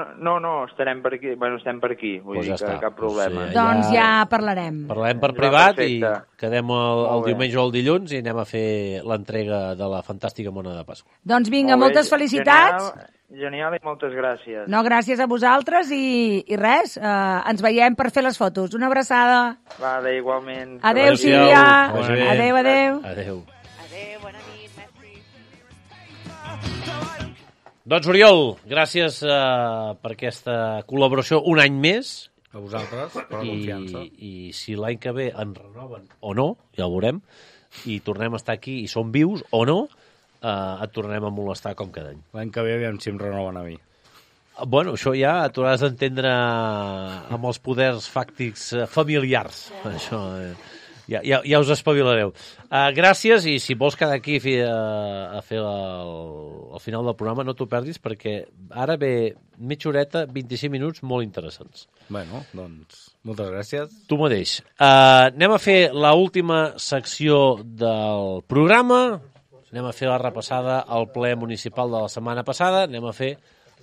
estarem per aquí. Bueno, estem per aquí, vull Pues dir ja que està. cap problema. Doncs ja parlarem. Parlem per privat i perfecte. quedem el Molt bé. diumenge o el dilluns i anem a fer l'entrega de la fantàstica mona de Pasqua. Doncs vinga, Molt bé, moltes felicitats. Genial i moltes gràcies. No, gràcies a vosaltres i res, ens veiem per fer les fotos. Una abraçada. Vale, igualment. Adéu, Sílvia. Vagi bé. Adéu, adéu. Adéu. Doncs, Oriol, gràcies per aquesta col·laboració un any més. A vosaltres, per la confiança. I si l'any que ve ens renoven o no, ja ho veurem, i tornem a estar aquí i som vius o no, et tornarem a molestar com cada any. L'any que ve aviam si em renoven a mi. Bueno, això ja t'ho has d'entendre amb els poders fàctics familiars. Això, ja us espavilareu. Gràcies, i si vols quedar aquí a fer el final del programa, no t'ho perdis, perquè ara ve mitja horeta, 25 minuts molt interessants. Bueno, doncs, moltes gràcies. Tu mateix. Anem a fer l'última secció del programa, anem a fer la repassada al ple municipal de la setmana passada, anem a fer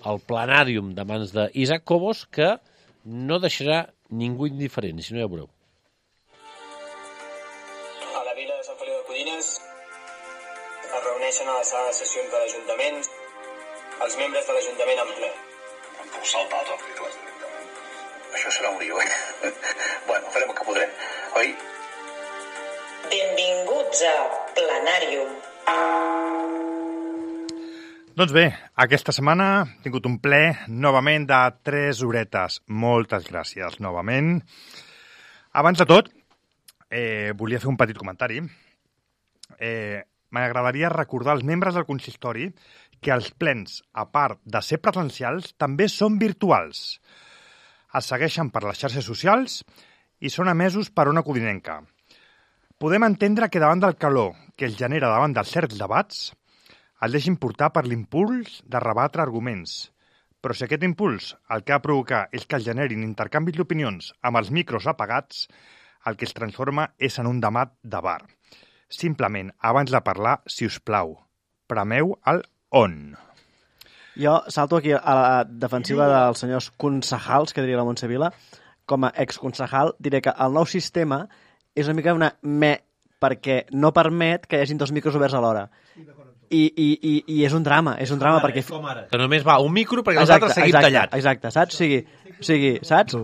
el planàrium de mans d'Isaac Cobos, que no deixarà ningú indiferent, si no ja veureu. A la vila de Sant Feliu de Codines es reuneixen a la sala de sessions de l'Ajuntament els membres de l'Ajuntament en ple. Em puc saltar tot titles directament. Això serà un lío, eh? Bueno, farem el que podrem, oi? Benvinguts a Planàrium. Doncs bé, aquesta setmana he tingut un ple novament de 3 horetes. Moltes gràcies novament. Abans de tot, volia fer un petit comentari. M'agradaria recordar als membres del consistori que els plens, a part de ser presencials, també són virtuals. Es segueixen per les xarxes socials i són emesos per Ona Codinenca. Podem entendre que davant del calor que es genera davant dels certs debats, el deixin portar per l'impuls de rebatre arguments. Però si aquest impuls el que ha de provocar és que es generin intercanvis d'opinions amb els micros apagats, el que es transforma és en un debat de bar. Simplement, abans de parlar, si us plau, premeu el on. Jo salto aquí a la defensiva dels senyors concejals, que diria la Montse Vila. Com a exconcejal diré que el nou sistema és una mica una perquè no permet que hi hagin 2 micros oberts alhora. I és un drama, perquè... Que només va un micro perquè els altres seguim tallat. Exacte, saps? O sigui, saps?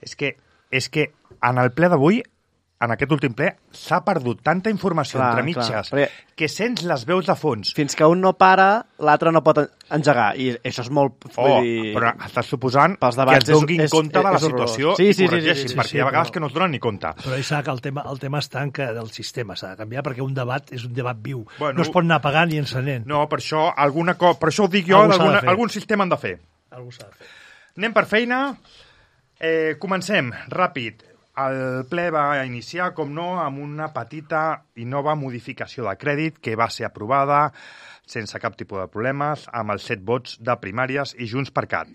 És que en el ple d'avui, en aquest últim ple, s'ha perdut tanta informació entre mitges que sents les veus de fons. Fins que un no para, l'altre no pot engegar. I això és molt... Però estàs suposant que es donin compte de la situació i corregeixin, perquè hi ha vegades que no es donen ni compte. Però, Isaac, el tema està en que el sistema s'ha de canviar, perquè un debat és un debat viu. No es pot anar apagant i encenent. No, per això ho dic jo, algun sistema han de fer. Algú s'ha de fer. Anem per feina. Comencem, ràpid. El ple va iniciar, com no, amb una petita i nova modificació de crèdit que va ser aprovada sense cap tipus de problemes, amb els 7 vots de Primàries i Junts per Cat.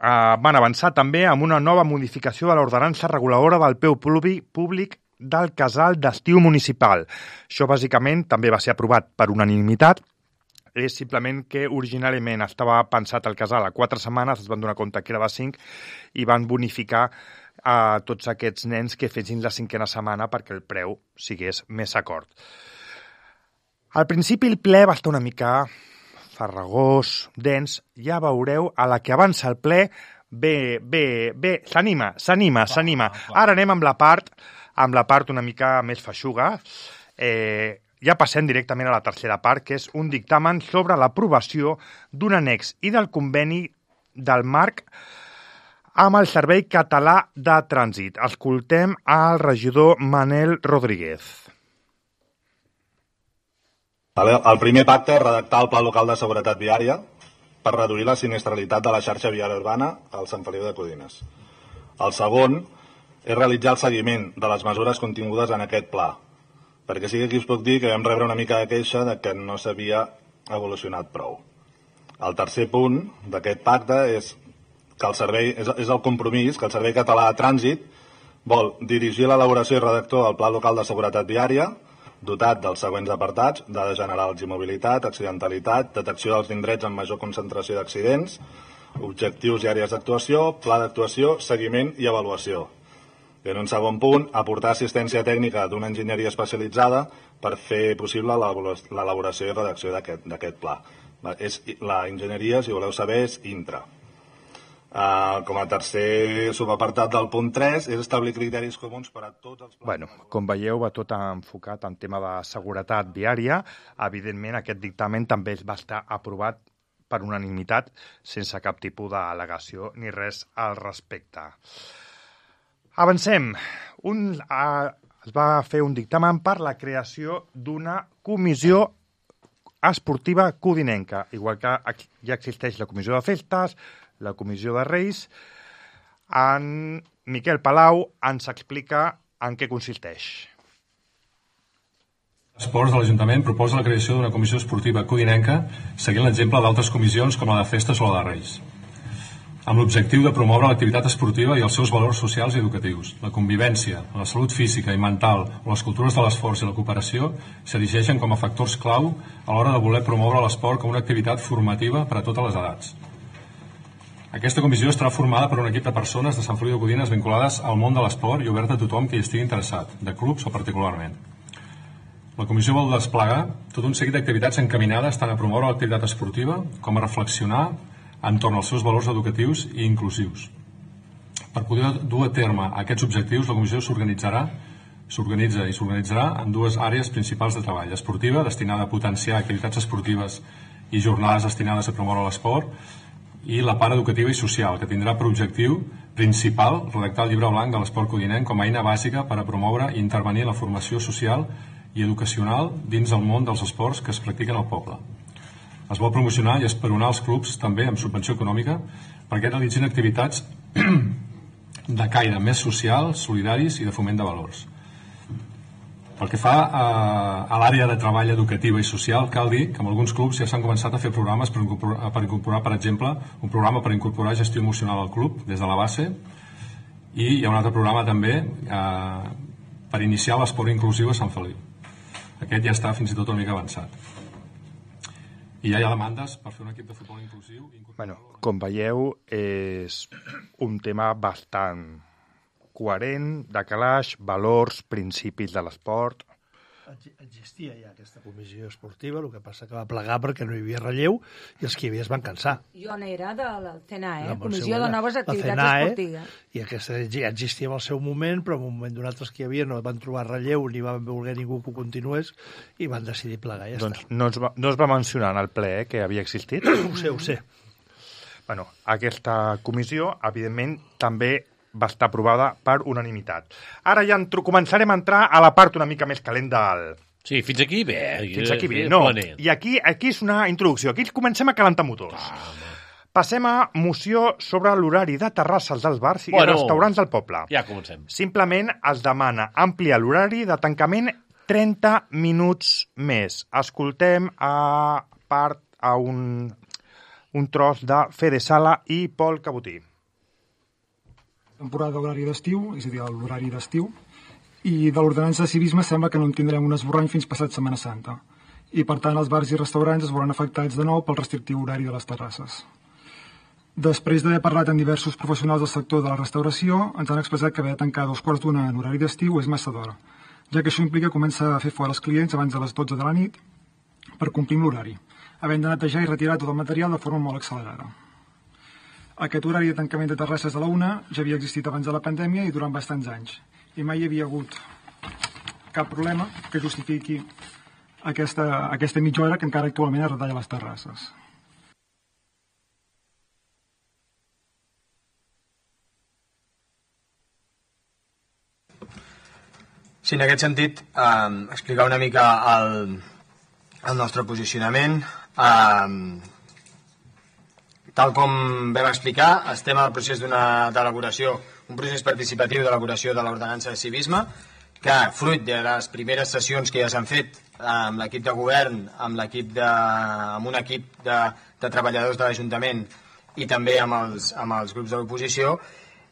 Van avançar també amb una nova modificació de l'ordenança reguladora del peu públic del casal d'estiu municipal. Això, bàsicament, també va ser aprovat per unanimitat. És simplement que originalment estava pensat el casal a 4 setmanes, es van donar compte que era de 5 i van bonificar a tots aquests nens que fessin la 5a setmana perquè el preu sigués més acord. Al principi el ple va estar una mica farragós, dens, ja veureu, a la que avança el ple, s'anima. Ara anem amb la part una mica més feixuga. Ja passem directament a la tercera part, que és un dictamen sobre l'aprovació d'un annex i del conveni del marc amb el Servei Català de Trànsit. Escoltem al regidor Manel Rodríguez. El primer pacte és redactar el Pla Local de Seguretat Viària per reduir la sinistralitat de la xarxa viària urbana al Sant Feliu de Codines. El segon és realitzar el seguiment de les mesures contingudes en aquest pla, perquè sí que aquí us puc dir que vam rebre una mica de queixa de que no s'havia evolucionat prou. El tercer punt d'aquest pacte és que el servei, és el compromís que el Servei Català de Trànsit vol dirigir l'elaboració i redactor del Pla Local de Seguretat Viària, dotat dels següents apartats: dades generals i mobilitat, accidentalitat, detecció dels indrets amb major concentració d'accidents, objectius i àrees d'actuació, pla d'actuació, seguiment i avaluació. I en un segon punt, aportar assistència tècnica d'una enginyeria especialitzada per fer possible l'elaboració i redacció d'aquest pla. La enginyeria, si voleu saber, és Intra. Com a tercer subapartat del punt 3 és establir criteris comuns per a tots els plans. Bueno, com veieu, va tot enfocat en tema de seguretat viària. Evidentment, aquest dictamen també va estar aprovat per unanimitat, sense cap tipus d'al·legació ni res al respecte. Avancem. Es va fer un dictamen per la creació d'una comissió esportiva codinenca, igual que ja existeix la comissió de festes, la comissió de Reis. En Miquel Palau ens explica en què consisteix. Esports de l'Ajuntament proposa la creació d'una comissió esportiva codinenca seguint l'exemple d'altres comissions com la de festes o la de Reis, amb l'objectiu de promoure l'activitat esportiva i els seus valors socials i educatius. La convivència, la salut física i mental o les cultures de l'esforç i la cooperació s'erigeixen com a factors clau a l'hora de voler promoure l'esport com una activitat formativa per a totes les edats. Aquesta comissió estarà formada per un equip de persones de Sant Feliu de Codines vinculades al món de l'esport i oberta a tothom que hi estigui interessat, de clubs o particularment. La comissió vol desplegar tot un seguit d'activitats encaminades tant a promoure l'activitat esportiva com a reflexionar entorn als seus valors educatius i inclusius. Per poder dur a terme aquests objectius, la comissió s'organitza en dues àrees principals de treball: esportiva, destinada a potenciar activitats esportives i jornades destinades a promoure l'esport, i la part educativa i social, que tindrà per objectiu principal redactar el llibre blanc de l'esport codinenc com a eina bàsica per a promoure i intervenir en la formació social i educacional dins el món dels esports que es practiquen al poble. Es vol promocionar i esperonar els clubs també amb subvenció econòmica perquè realitzin activitats de caire més social, solidaris i de foment de valors. Pel que fa a l'àrea de treball educativa i social, cal dir que en alguns clubs ja s'han començat a fer programes per incorporar, per exemple, un programa per incorporar gestió emocional al club des de la base, i hi ha un altre programa també per iniciar l'esport inclusiu a Sant Feliu. Aquest ja està fins i tot una mica avançat. I ja hi ha demandes per fer un equip de futbol inclusiu. Bueno, com veieu, és un tema bastant coherent, de calaix, valors, principis de l'esport. Existia ja aquesta comissió esportiva, el que passa que va plegar perquè no hi havia relleu i els que hi havia es van cansar. Jo n'era de la CNAE, Comissió de Noves Activitats Esportives. I aquesta ja existia en el seu moment, però en un moment donat els que hi havia no van trobar relleu ni van voler ningú que ho continués i van decidir plegar. Ja doncs no es va mencionar en el ple que havia existit? Ho sé. Bueno, aquesta comissió, evidentment, també va estar aprovada per unanimitat. Ara ja començarem a entrar a la part una mica més calent del... Sí, fins aquí bé. Fins aquí bé, no. I aquí és una introducció. Aquí comencem a calentar motors. Passem a moció sobre l'horari de terrasses dels bars i restaurants del poble. Ja comencem. Simplement es demana ampliar l'horari de tancament 30 minuts més. Escoltem a un tros de Fede Sala i Pol Cabotí. Temporada d'horari d'estiu, és a dir, l'horari d'estiu, i de l'ordenança de civisme sembla que no en tindrem un esborrany fins passat Setmana Santa. I, per tant, els bars i restaurants es veuran afectats de nou pel restrictiu horari de les terrasses. Després d'haver parlat amb diversos professionals del sector de la restauració, ens han expressat que haver de tancar a 2:45 en horari d'estiu és massa d'hora, ja que això implica començar a fer fora els clients abans de les 12 de la nit per complir amb l'horari, havent de netejar i retirar tot el material de forma molt accelerada. Aquest horari de tancament de terrasses a la 1 ja havia existit abans de la pandèmia i durant bastants anys, i mai hi havia hagut cap problema que justifiqui aquesta mitja hora que encara actualment es retalla a les terrasses. Sí, en aquest sentit, explicar una mica el nostre posicionament. Tal com vam explicar, estem al procés d'elaboració, un procés participatiu d'elaboració de l'ordenança de civisme, que fruit de les primeres sessions que ja s'han fet amb l'equip de govern, amb un equip de treballadors de l'Ajuntament i també amb els grups de l'oposició,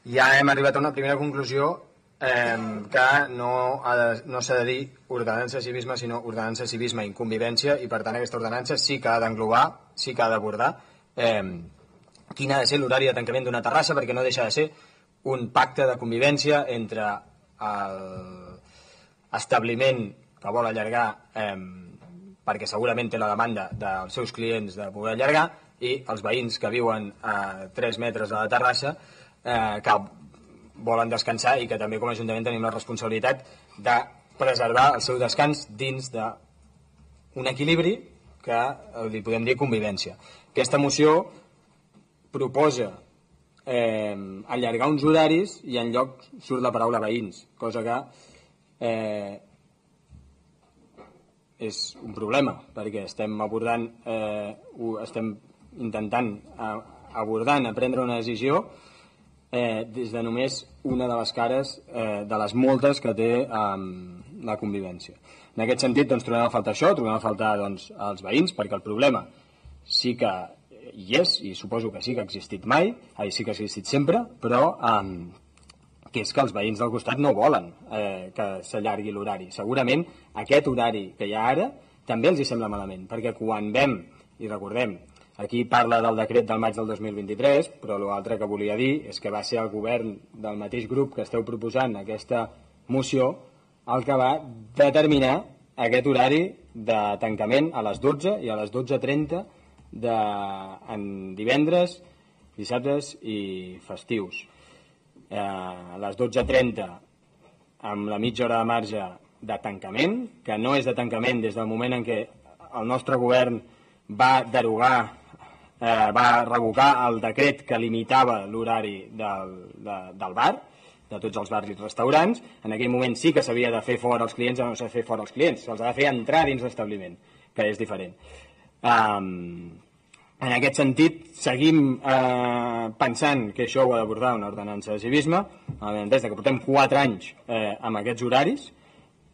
ja hem arribat a una primera conclusió que no s'ha de dir ordenança civisme, sinó ordenança civisme i convivència, i per tant aquesta ordenança sí que ha d'englobar, sí que ha d'abordar quin ha de ser l'horari de tancament d'una terrassa, perquè no deixa de ser un pacte de convivència entre l'establiment que vol allargar perquè segurament té la demanda dels seus clients de poder allargar, i els veïns que viuen a 3 metres de la terrassa que volen descansar i que també com a Ajuntament tenim la responsabilitat de preservar el seu descans dins d'un equilibri que li podem dir convivència. Aquesta moció proposa allargar uns horaris i enlloc surt la paraula veïns, cosa que és un problema, perquè estem abordant, estem intentant prendre una decisió des de només una de les cares de les moltes que té la convivència. En aquest sentit, doncs, trobem a faltar això, trobem a faltar doncs, els veïns, perquè el problema sí que hi és, i suposo que sí que ha existit sí que ha existit sempre, però que és que els veïns del costat no volen que s'allargui l'horari. Segurament aquest horari que hi ha ara també els hi sembla malament, perquè quan vam, i recordem, aquí parla del decret del maig del 2023, però l'altre que volia dir és que va ser el govern del mateix grup que esteu proposant aquesta moció el que va determinar aquest horari de tancament a les 12 i a les 12:30 en divendres, dissabtes i festius. A les 12:30 amb la mitja hora de marge de tancament, que no és de tancament des del moment en què el nostre govern va revocar el decret que limitava l'horari del bar, de tots els bars i restaurants. En aquell moment sí que s'havia de fer fora els clients, no s'ha de fer fora els clients, se'ls ha de fer entrar dins l'establiment, que és diferent. En aquest sentit, seguim pensant que això ho ha d'abordar una ordenança de civisme, des que portem 4 anys amb aquests horaris,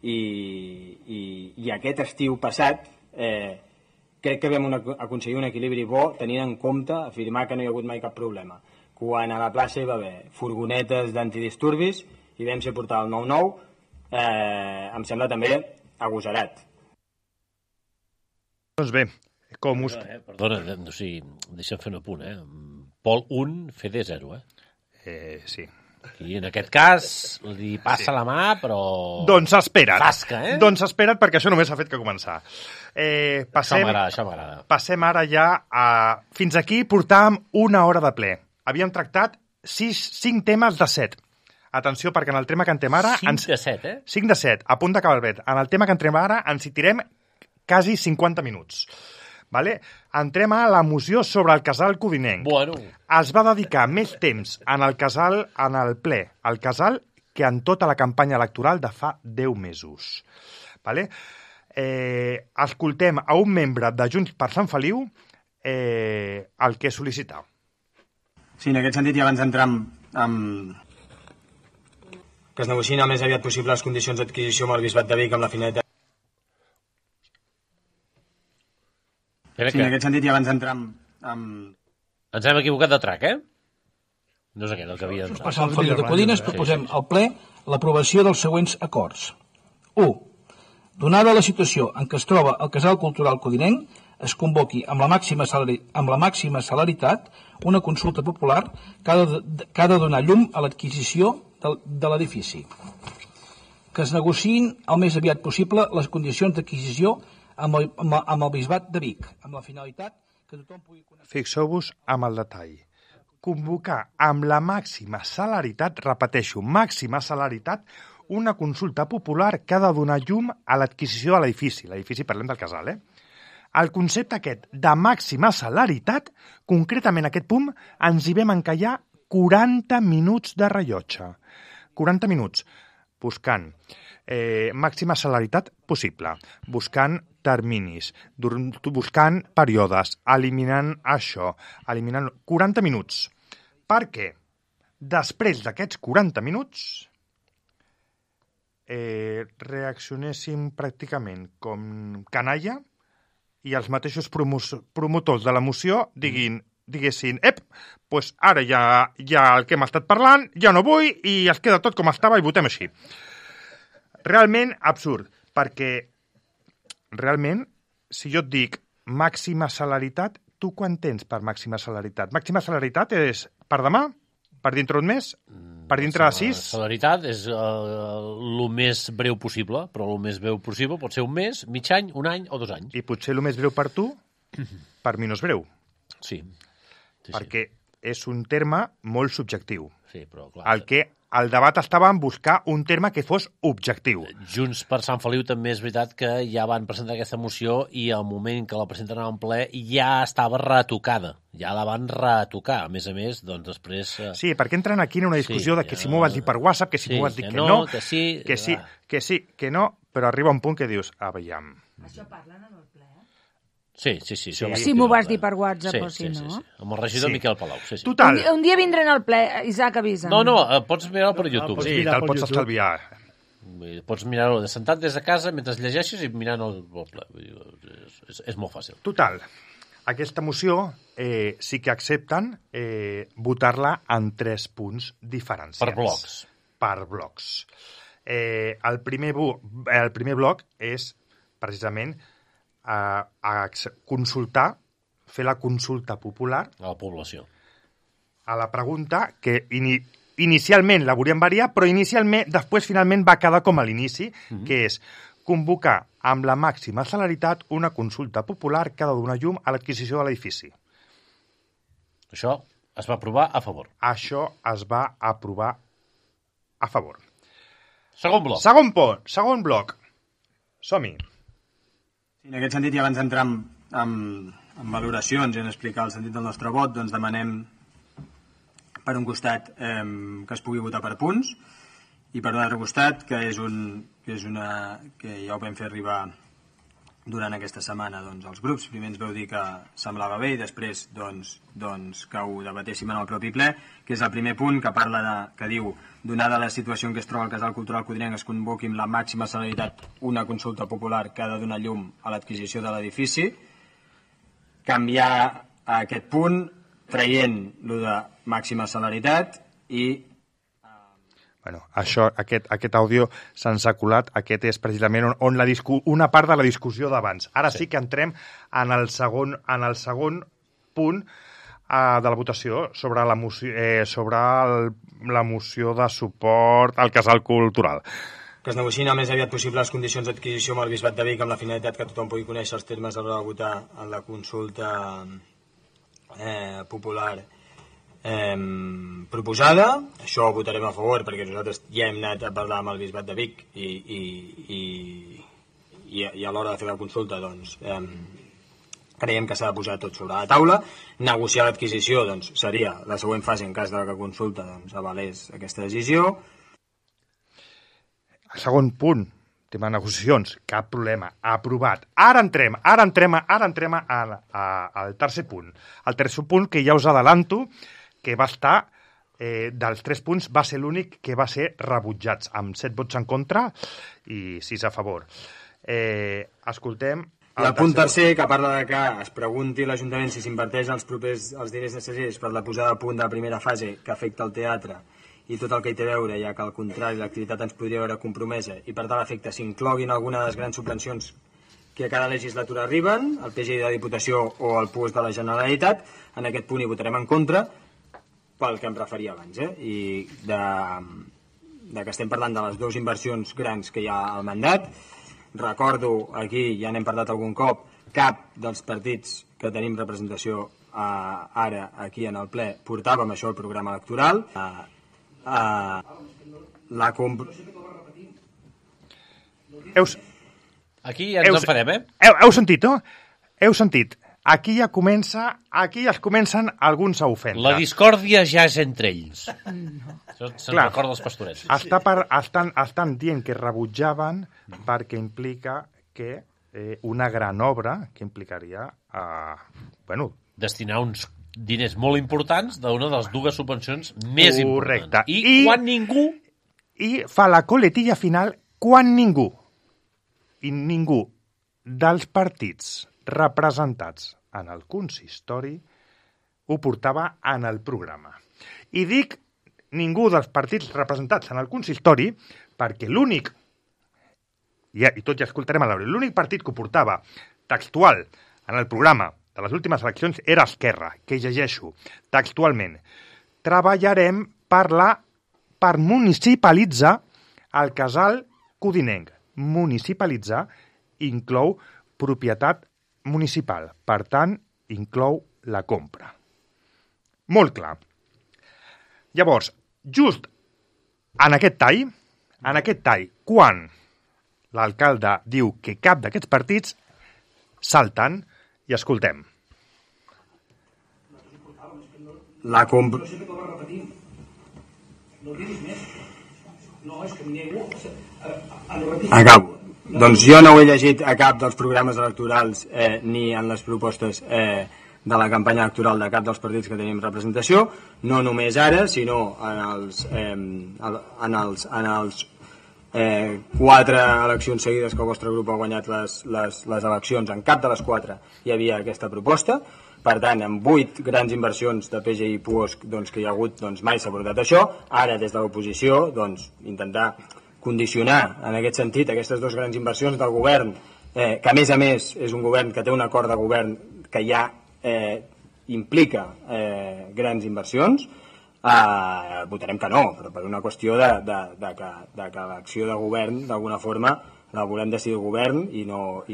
i aquest estiu passat crec que vam aconseguir un equilibri bo tenint en compte afirmar que no hi ha hagut mai cap problema. Quan a la plaça hi va haver furgonetes d'antidisturbis i vam ser portar el 9-9, em sembla també agosarat. Doncs bé, com us... Perdona, o sigui, deixa'm fer un apunt, Pol 1, Fede 0, sí. I en aquest cas li passa la mà, però... Doncs espera't. Tasca, Doncs espera't, perquè això només ha fet que començar. Això m'agrada. Passem ara ja a... Fins aquí portàvem 1 hora de ple. Havíem tractat 5 temes de 7. Atenció, perquè en el tema que entrem ara... 5 de 7, 5 de 7, a punt d'acabar el bet. En el tema que entrem ara ens hi tirem quasi 50 minuts. Vale? Entrem a la moció sobre el casal codinenc. Bueno. Es va dedicar més temps en el casal, en el ple, al casal, que en tota la campanya electoral de fa 10 mesos. Vale? Escoltem a un membre de Junts per Sant Feliu el que sol·licita. Sí, en aquest sentit, i abans d'entrar amb que es negociïn el més aviat possible les condicions d'adquisició amb el Bisbat de Vic amb la finalitat. Sí, en aquest sentit, i abans d'entrar amb... Ens hem equivocat de track, No és aquest el que havia d'entrar. Per Sant Feliu de Codines proposem al ple l'aprovació dels següents acords. 1. Donada la situació en què es troba el casal cultural codinenc, es convoqui amb la màxima celeritat una consulta popular que ha de donar llum a l'adquisició de l'edifici. Que es negociïn el més aviat possible les condicions d'adquisició amb el Bisbat de Vic, amb la finalitat que tothom pugui conèixer. Fixeu-vos amb el detall. Convocar amb la màxima celeritat, repeteixo, màxima celeritat, una consulta popular que ha de donar llum a l'adquisició de l'edifici. L'edifici, parlem del casal, El concepte aquest de màxima celeritat, concretament aquest punt, ens hi vam encallar 40 minuts de rellotge. 40 minuts buscant màxima celeritat possible, buscant terminis, buscant períodes, eliminant això, eliminant 40 minuts. Perquè després d'aquests 40 minuts reaccionéssim pràcticament com canalla i els mateixos promotors de la moció diguin diguessin, doncs ara ja el que hem estat parlant, ja no vull i es queda tot com estava i votem així. Realment absurd, perquè realment, si jo et dic màxima salaritat, tu quan tens per màxima salaritat? Màxima salaritat és per demà? Per dintre un mes? Per dintre de 6? La salaritat és el més breu possible, però el més breu possible pot ser un mes, mig any, un any o 2 anys. I potser el més breu per tu, per mi no és breu. Sí. Perquè és un terme molt subjectiu. Sí, però clar. El debat estava en buscar un terme que fos objectiu. Junts per Sant Feliu també és veritat que ja van presentar aquesta moció i al moment que la presenten en ple ja estava retocada. Ja la van retocar. A més, doncs després... Sí, perquè entren aquí en una discussió de que si m'ho vas dir per WhatsApp, que si m'ho vas dir que no, que sí, que no, però arriba un punt que dius, veiem... Això parlen en el ple, Sí. Si m'ho vas dir per WhatsApp o si no. Sí. Amb el regidor Miquel Palau. Sí. Total. Un dia vindrem al ple, Isaac, avisa. No, pots mirar-ho per YouTube. Sí, te'l pots estalviar. Pots mirar-ho sentat des de casa mentre llegeixes i mirant el ple. És molt fàcil. Total. Aquesta moció sí que accepten votar-la en 3 punts diferenciats. Per blocs. El primer bloc és precisament consultar, fer la consulta popular a la població. A la pregunta que inicialment la volíem variar, però després finalment va quedar com a l'inici, que és convocar amb la màxima celeritat una consulta popular que ha de donar llum a l'adquisició de l'edifici. Això es va aprovar a favor. Això es va aprovar a favor. Segon bloc. Segon bloc. Som-hi. En aquest sentit, i abans d'entrar en valoracions i en explicar el sentit del nostre vot, doncs demanem, per un costat, que es pugui votar per punts, i per un altre costat, que ja ho vam fer arribar durant aquesta setmana als grups. Primer ens vau dir que semblava bé i després que ho debatéssim en el propi ple, que és el primer punt que que diu: donada la situació en què es troba el Casal Cultural Codinenc, es convoqui amb la màxima celeritat una consulta popular que ha de donar llum a l'adquisició de l'edifici. Canviar aquest punt traient lo de màxima celeritat i... Aquest àudio se'ns ha colat. Aquest és precisament on una part de la discussió d'abans. Ara sí que entrem en el segon punt de la votació sobre la moció de suport al Casal Cultural. Que es negociïn el més aviat possible les condicions d'adquisició amb el Bisbat de Vic amb la finalitat que tothom pugui conèixer els termes a l'hora de votar en la consulta popular proposada. Això ho votarem a favor perquè nosaltres ja hem anat a parlar amb el Bisbat de Vic i a l'hora de fer la consulta creiem que s'ha de posar tot sobre la taula. Negociar l'adquisició seria la següent fase en cas de que la consulta avalés aquesta decisió. El segon punt, tema de negociacions, cap problema, aprovat. Ara entrem al tercer punt. El tercer punt, que ja us adelanto, que va estar, dels 3 punts, va ser l'únic que va ser rebutjats, amb 7 vots en contra i 6 a favor. Escoltem... El punt tercer, que parla de que es pregunti a l'Ajuntament si s'inverteix els diners necessaris per la posada a punt de la primera fase que afecta el teatre i tot el que hi té a veure, ja que al contrari l'activitat ens podria veure compromesa i per tal efecte s'incloguin alguna de les grans subvencions que a cada legislatura arriben, el PGI de la Diputació o el PUOS de la Generalitat. En aquest punt hi votarem en contra pel que em referia abans, i de que estem parlant de les 2 inversions grans que hi ha al mandat. Recordo, aquí ja n'hem parlat algun cop, cap dels partits que tenim representació ara aquí en el ple portàvem això al programa electoral. Aquí ja ens enfadem, Heu sentit, no? Heu sentit. Aquí ja es comencen alguns a ofendre. La discòrdia ja és entre ells. Això se'n recorda els pastorets. Estan dient que rebutjaven perquè implica que una gran obra que implicaria destinar uns diners molt importants d'una de les 2 subvencions més importants. Correcte. I quan ningú... I fa la coletilla final quan ningú dels partits representats en el consistori ho portava en el programa. I dic ningú dels partits representats en el consistori perquè l'únic, i tot ja escoltarem a l'hora, l'únic partit que ho portava textual en el programa de les últimes eleccions era Esquerra, que llegeixo textualment. Treballarem per municipalitzar el casal codinenc. Municipalitzar inclou propietat municipal, per tant, inclou la compra. Molt clar. Llavors, just en aquest tall, quan l'alcalde diu que cap d'aquests partits salten i escoltem. La compra... Acabo. Doncs jo no ho he llegit a cap dels programes electorals ni en les propostes de la campanya electoral de cap dels partits que tenim representació, no només ara, sinó en els 4 eleccions seguides que el vostre grup ha guanyat les eleccions. En cap de les 4 hi havia aquesta proposta. Per tant, amb 8 grans inversions de PGI i PUOSC que hi ha hagut, mai s'ha portat això. Ara, des de l'oposició, intentar condicionar en aquest sentit aquestes 2 grans inversions del govern, que a més és un govern que té un acord de govern que ja implica grans inversions, votarem que no, però per una qüestió de que l'acció de govern d'alguna forma la volem decidir el govern i no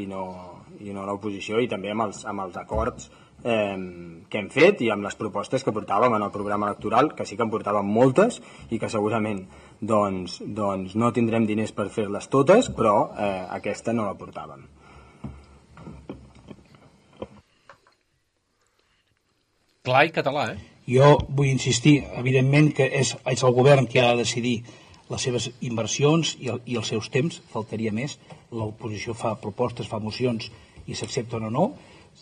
l'oposició, i també amb els acords que hem fet i amb les propostes que portàvem en el programa electoral, que sí que en portàvem moltes i que segurament no tindrem diners per fer-les totes, però aquesta no la portàvem. Clar i català, Jo vull insistir, evidentment, que és el govern qui ha de decidir les seves inversions i els seus temps, faltaria més. L'oposició fa propostes, fa mocions i s'accepten o no,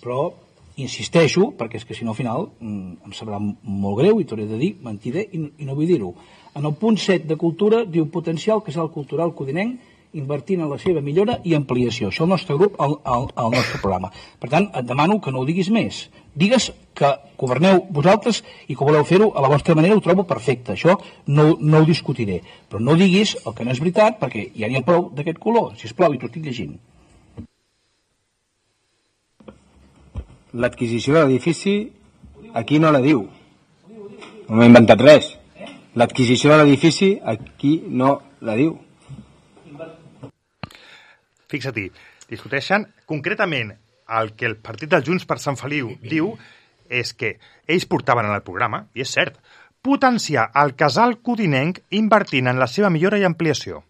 però insisteixo, perquè és que si no al final em sabrà molt greu i t'hauré de dir mentider i no vull dir-ho. En el punt 7 de Cultura diu potencial casal cultural codinenc invertint en la seva millora i ampliació. Això el nostre grup al nostre programa. Per tant, et demano que no ho diguis més. Digues que governeu vosaltres i que voleu fer-ho a la vostra manera, ho trobo perfecte. Això no ho discutiré. Però no diguis el que no és veritat, perquè ja n'hi ha prou d'aquest color. Sisplau, i t'ho estic llegint. L'adquisició de l'edifici aquí no la diu. No m'he inventat res. L'adquisició de l'edifici aquí no la diu. Fixa-t'hi, discuteixen concretament el que el partit dels Junts per Sant Feliu diu és que ells portaven en el programa, i és cert, potenciar el casal codinenc invertint en la seva millora i ampliació.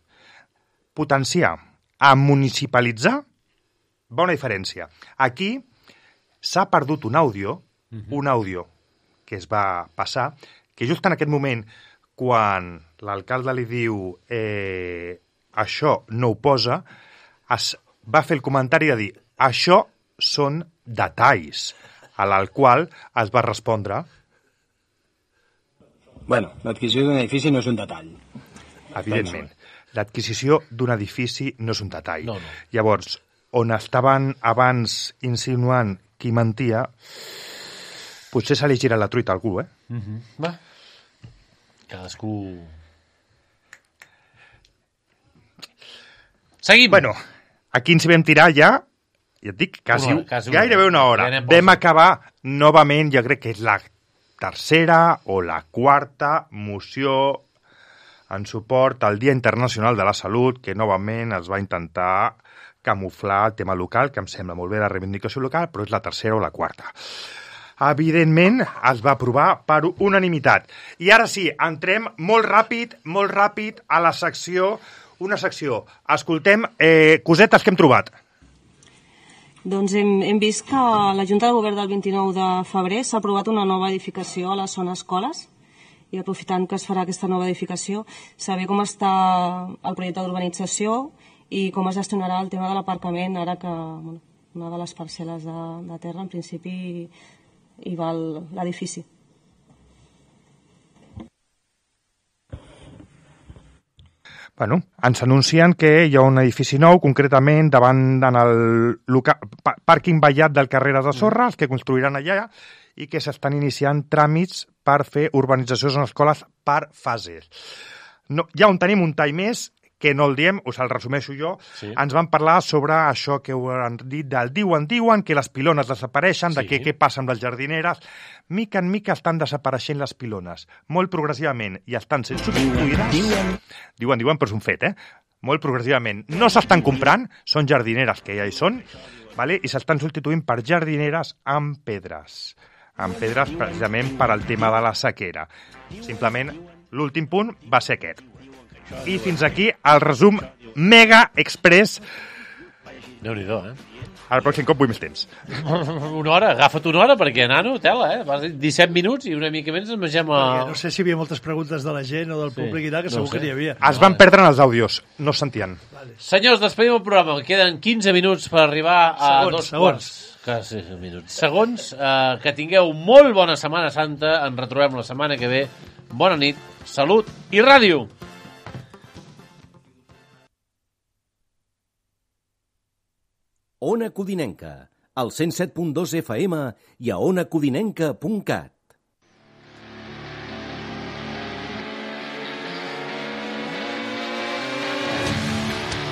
Potenciar, a municipalitzar, bona diferència. Aquí s'ha perdut un àudio que es va passar, que just en aquest moment, quan l'alcalde li diu això no ho posa, es va fer el comentari de dir això són detalls, a l'al qual es va respondre l'adquisició d'un edifici no és un detall. Evidentment, l'adquisició d'un edifici no és un detall. No. Llavors, on estaven abans insinuant qui mentia, potser se li gira la truita a algú, Va. Cadascú... Seguim. Bueno, aquí ens vam tirar ja et dic, gairebé una hora. Vam acabar novament, jo crec que és la tercera o la quarta moció en suport al Dia Internacional de la Salut, que novament es va intentar camuflar el tema local, que em sembla molt bé la reivindicació local, però és la tercera o la quarta. Evidentment, es va aprovar per unanimitat. I ara sí, entrem molt ràpid a la secció, una secció. Escoltem cosetes que hem trobat. Doncs hem vist que a la Junta de Govern del 29 de febrer s'ha aprovat una nova edificació a la zona escoles, i aprofitant que es farà aquesta nova edificació, saber com està el projecte d'urbanització i com es gestionarà el tema de l'aparcament, ara que una de les parcel·les de terra, en principi, hi va l'edifici. Bueno, ens anuncien que hi ha un edifici nou, concretament davant en el pàrquing vallat del carrer de Sorra, els que construiran allà, i que s'estan iniciant tràmits per fer urbanitzacions en escoles per fases. No, ja on tenim un tall més, que no el diem, us el resumeixo jo, ens van parlar sobre això que ho han dit del diuen, que les pilones desapareixen, de què passa amb les jardineres. Mica en mica estan desapareixent les pilones, molt progressivament, i estan sent substituïdes. Diuen, però és un fet, molt progressivament. No s'estan comprant, són jardineres que ja hi són, vale? I s'estan substituint per jardineres amb pedres precisament per al tema de la sequera. Simplement, l'últim punt va ser aquest. I fins aquí el resum mega express. Déu-n'hi-do, El pròxim cop vull més temps. Una hora, agafa't una hora, perquè, nano, tela, Vas dir 17 minuts i una mica menys ens mengem No sé si hi havia moltes preguntes de la gent o del públic i tal, que segur que n'hi havia. Es van perdre en els àudios, no es sentien. Senyors, despedim el programa. Queden 15 minuts per arribar a dos quarts. Quasi minuts. Segons, que tingueu molt bona Setmana Santa. Ens retrobem la setmana que ve. Bona nit, salut i ràdio! Ona Codinenca, al 107.2 FM i a onacodinenca.cat.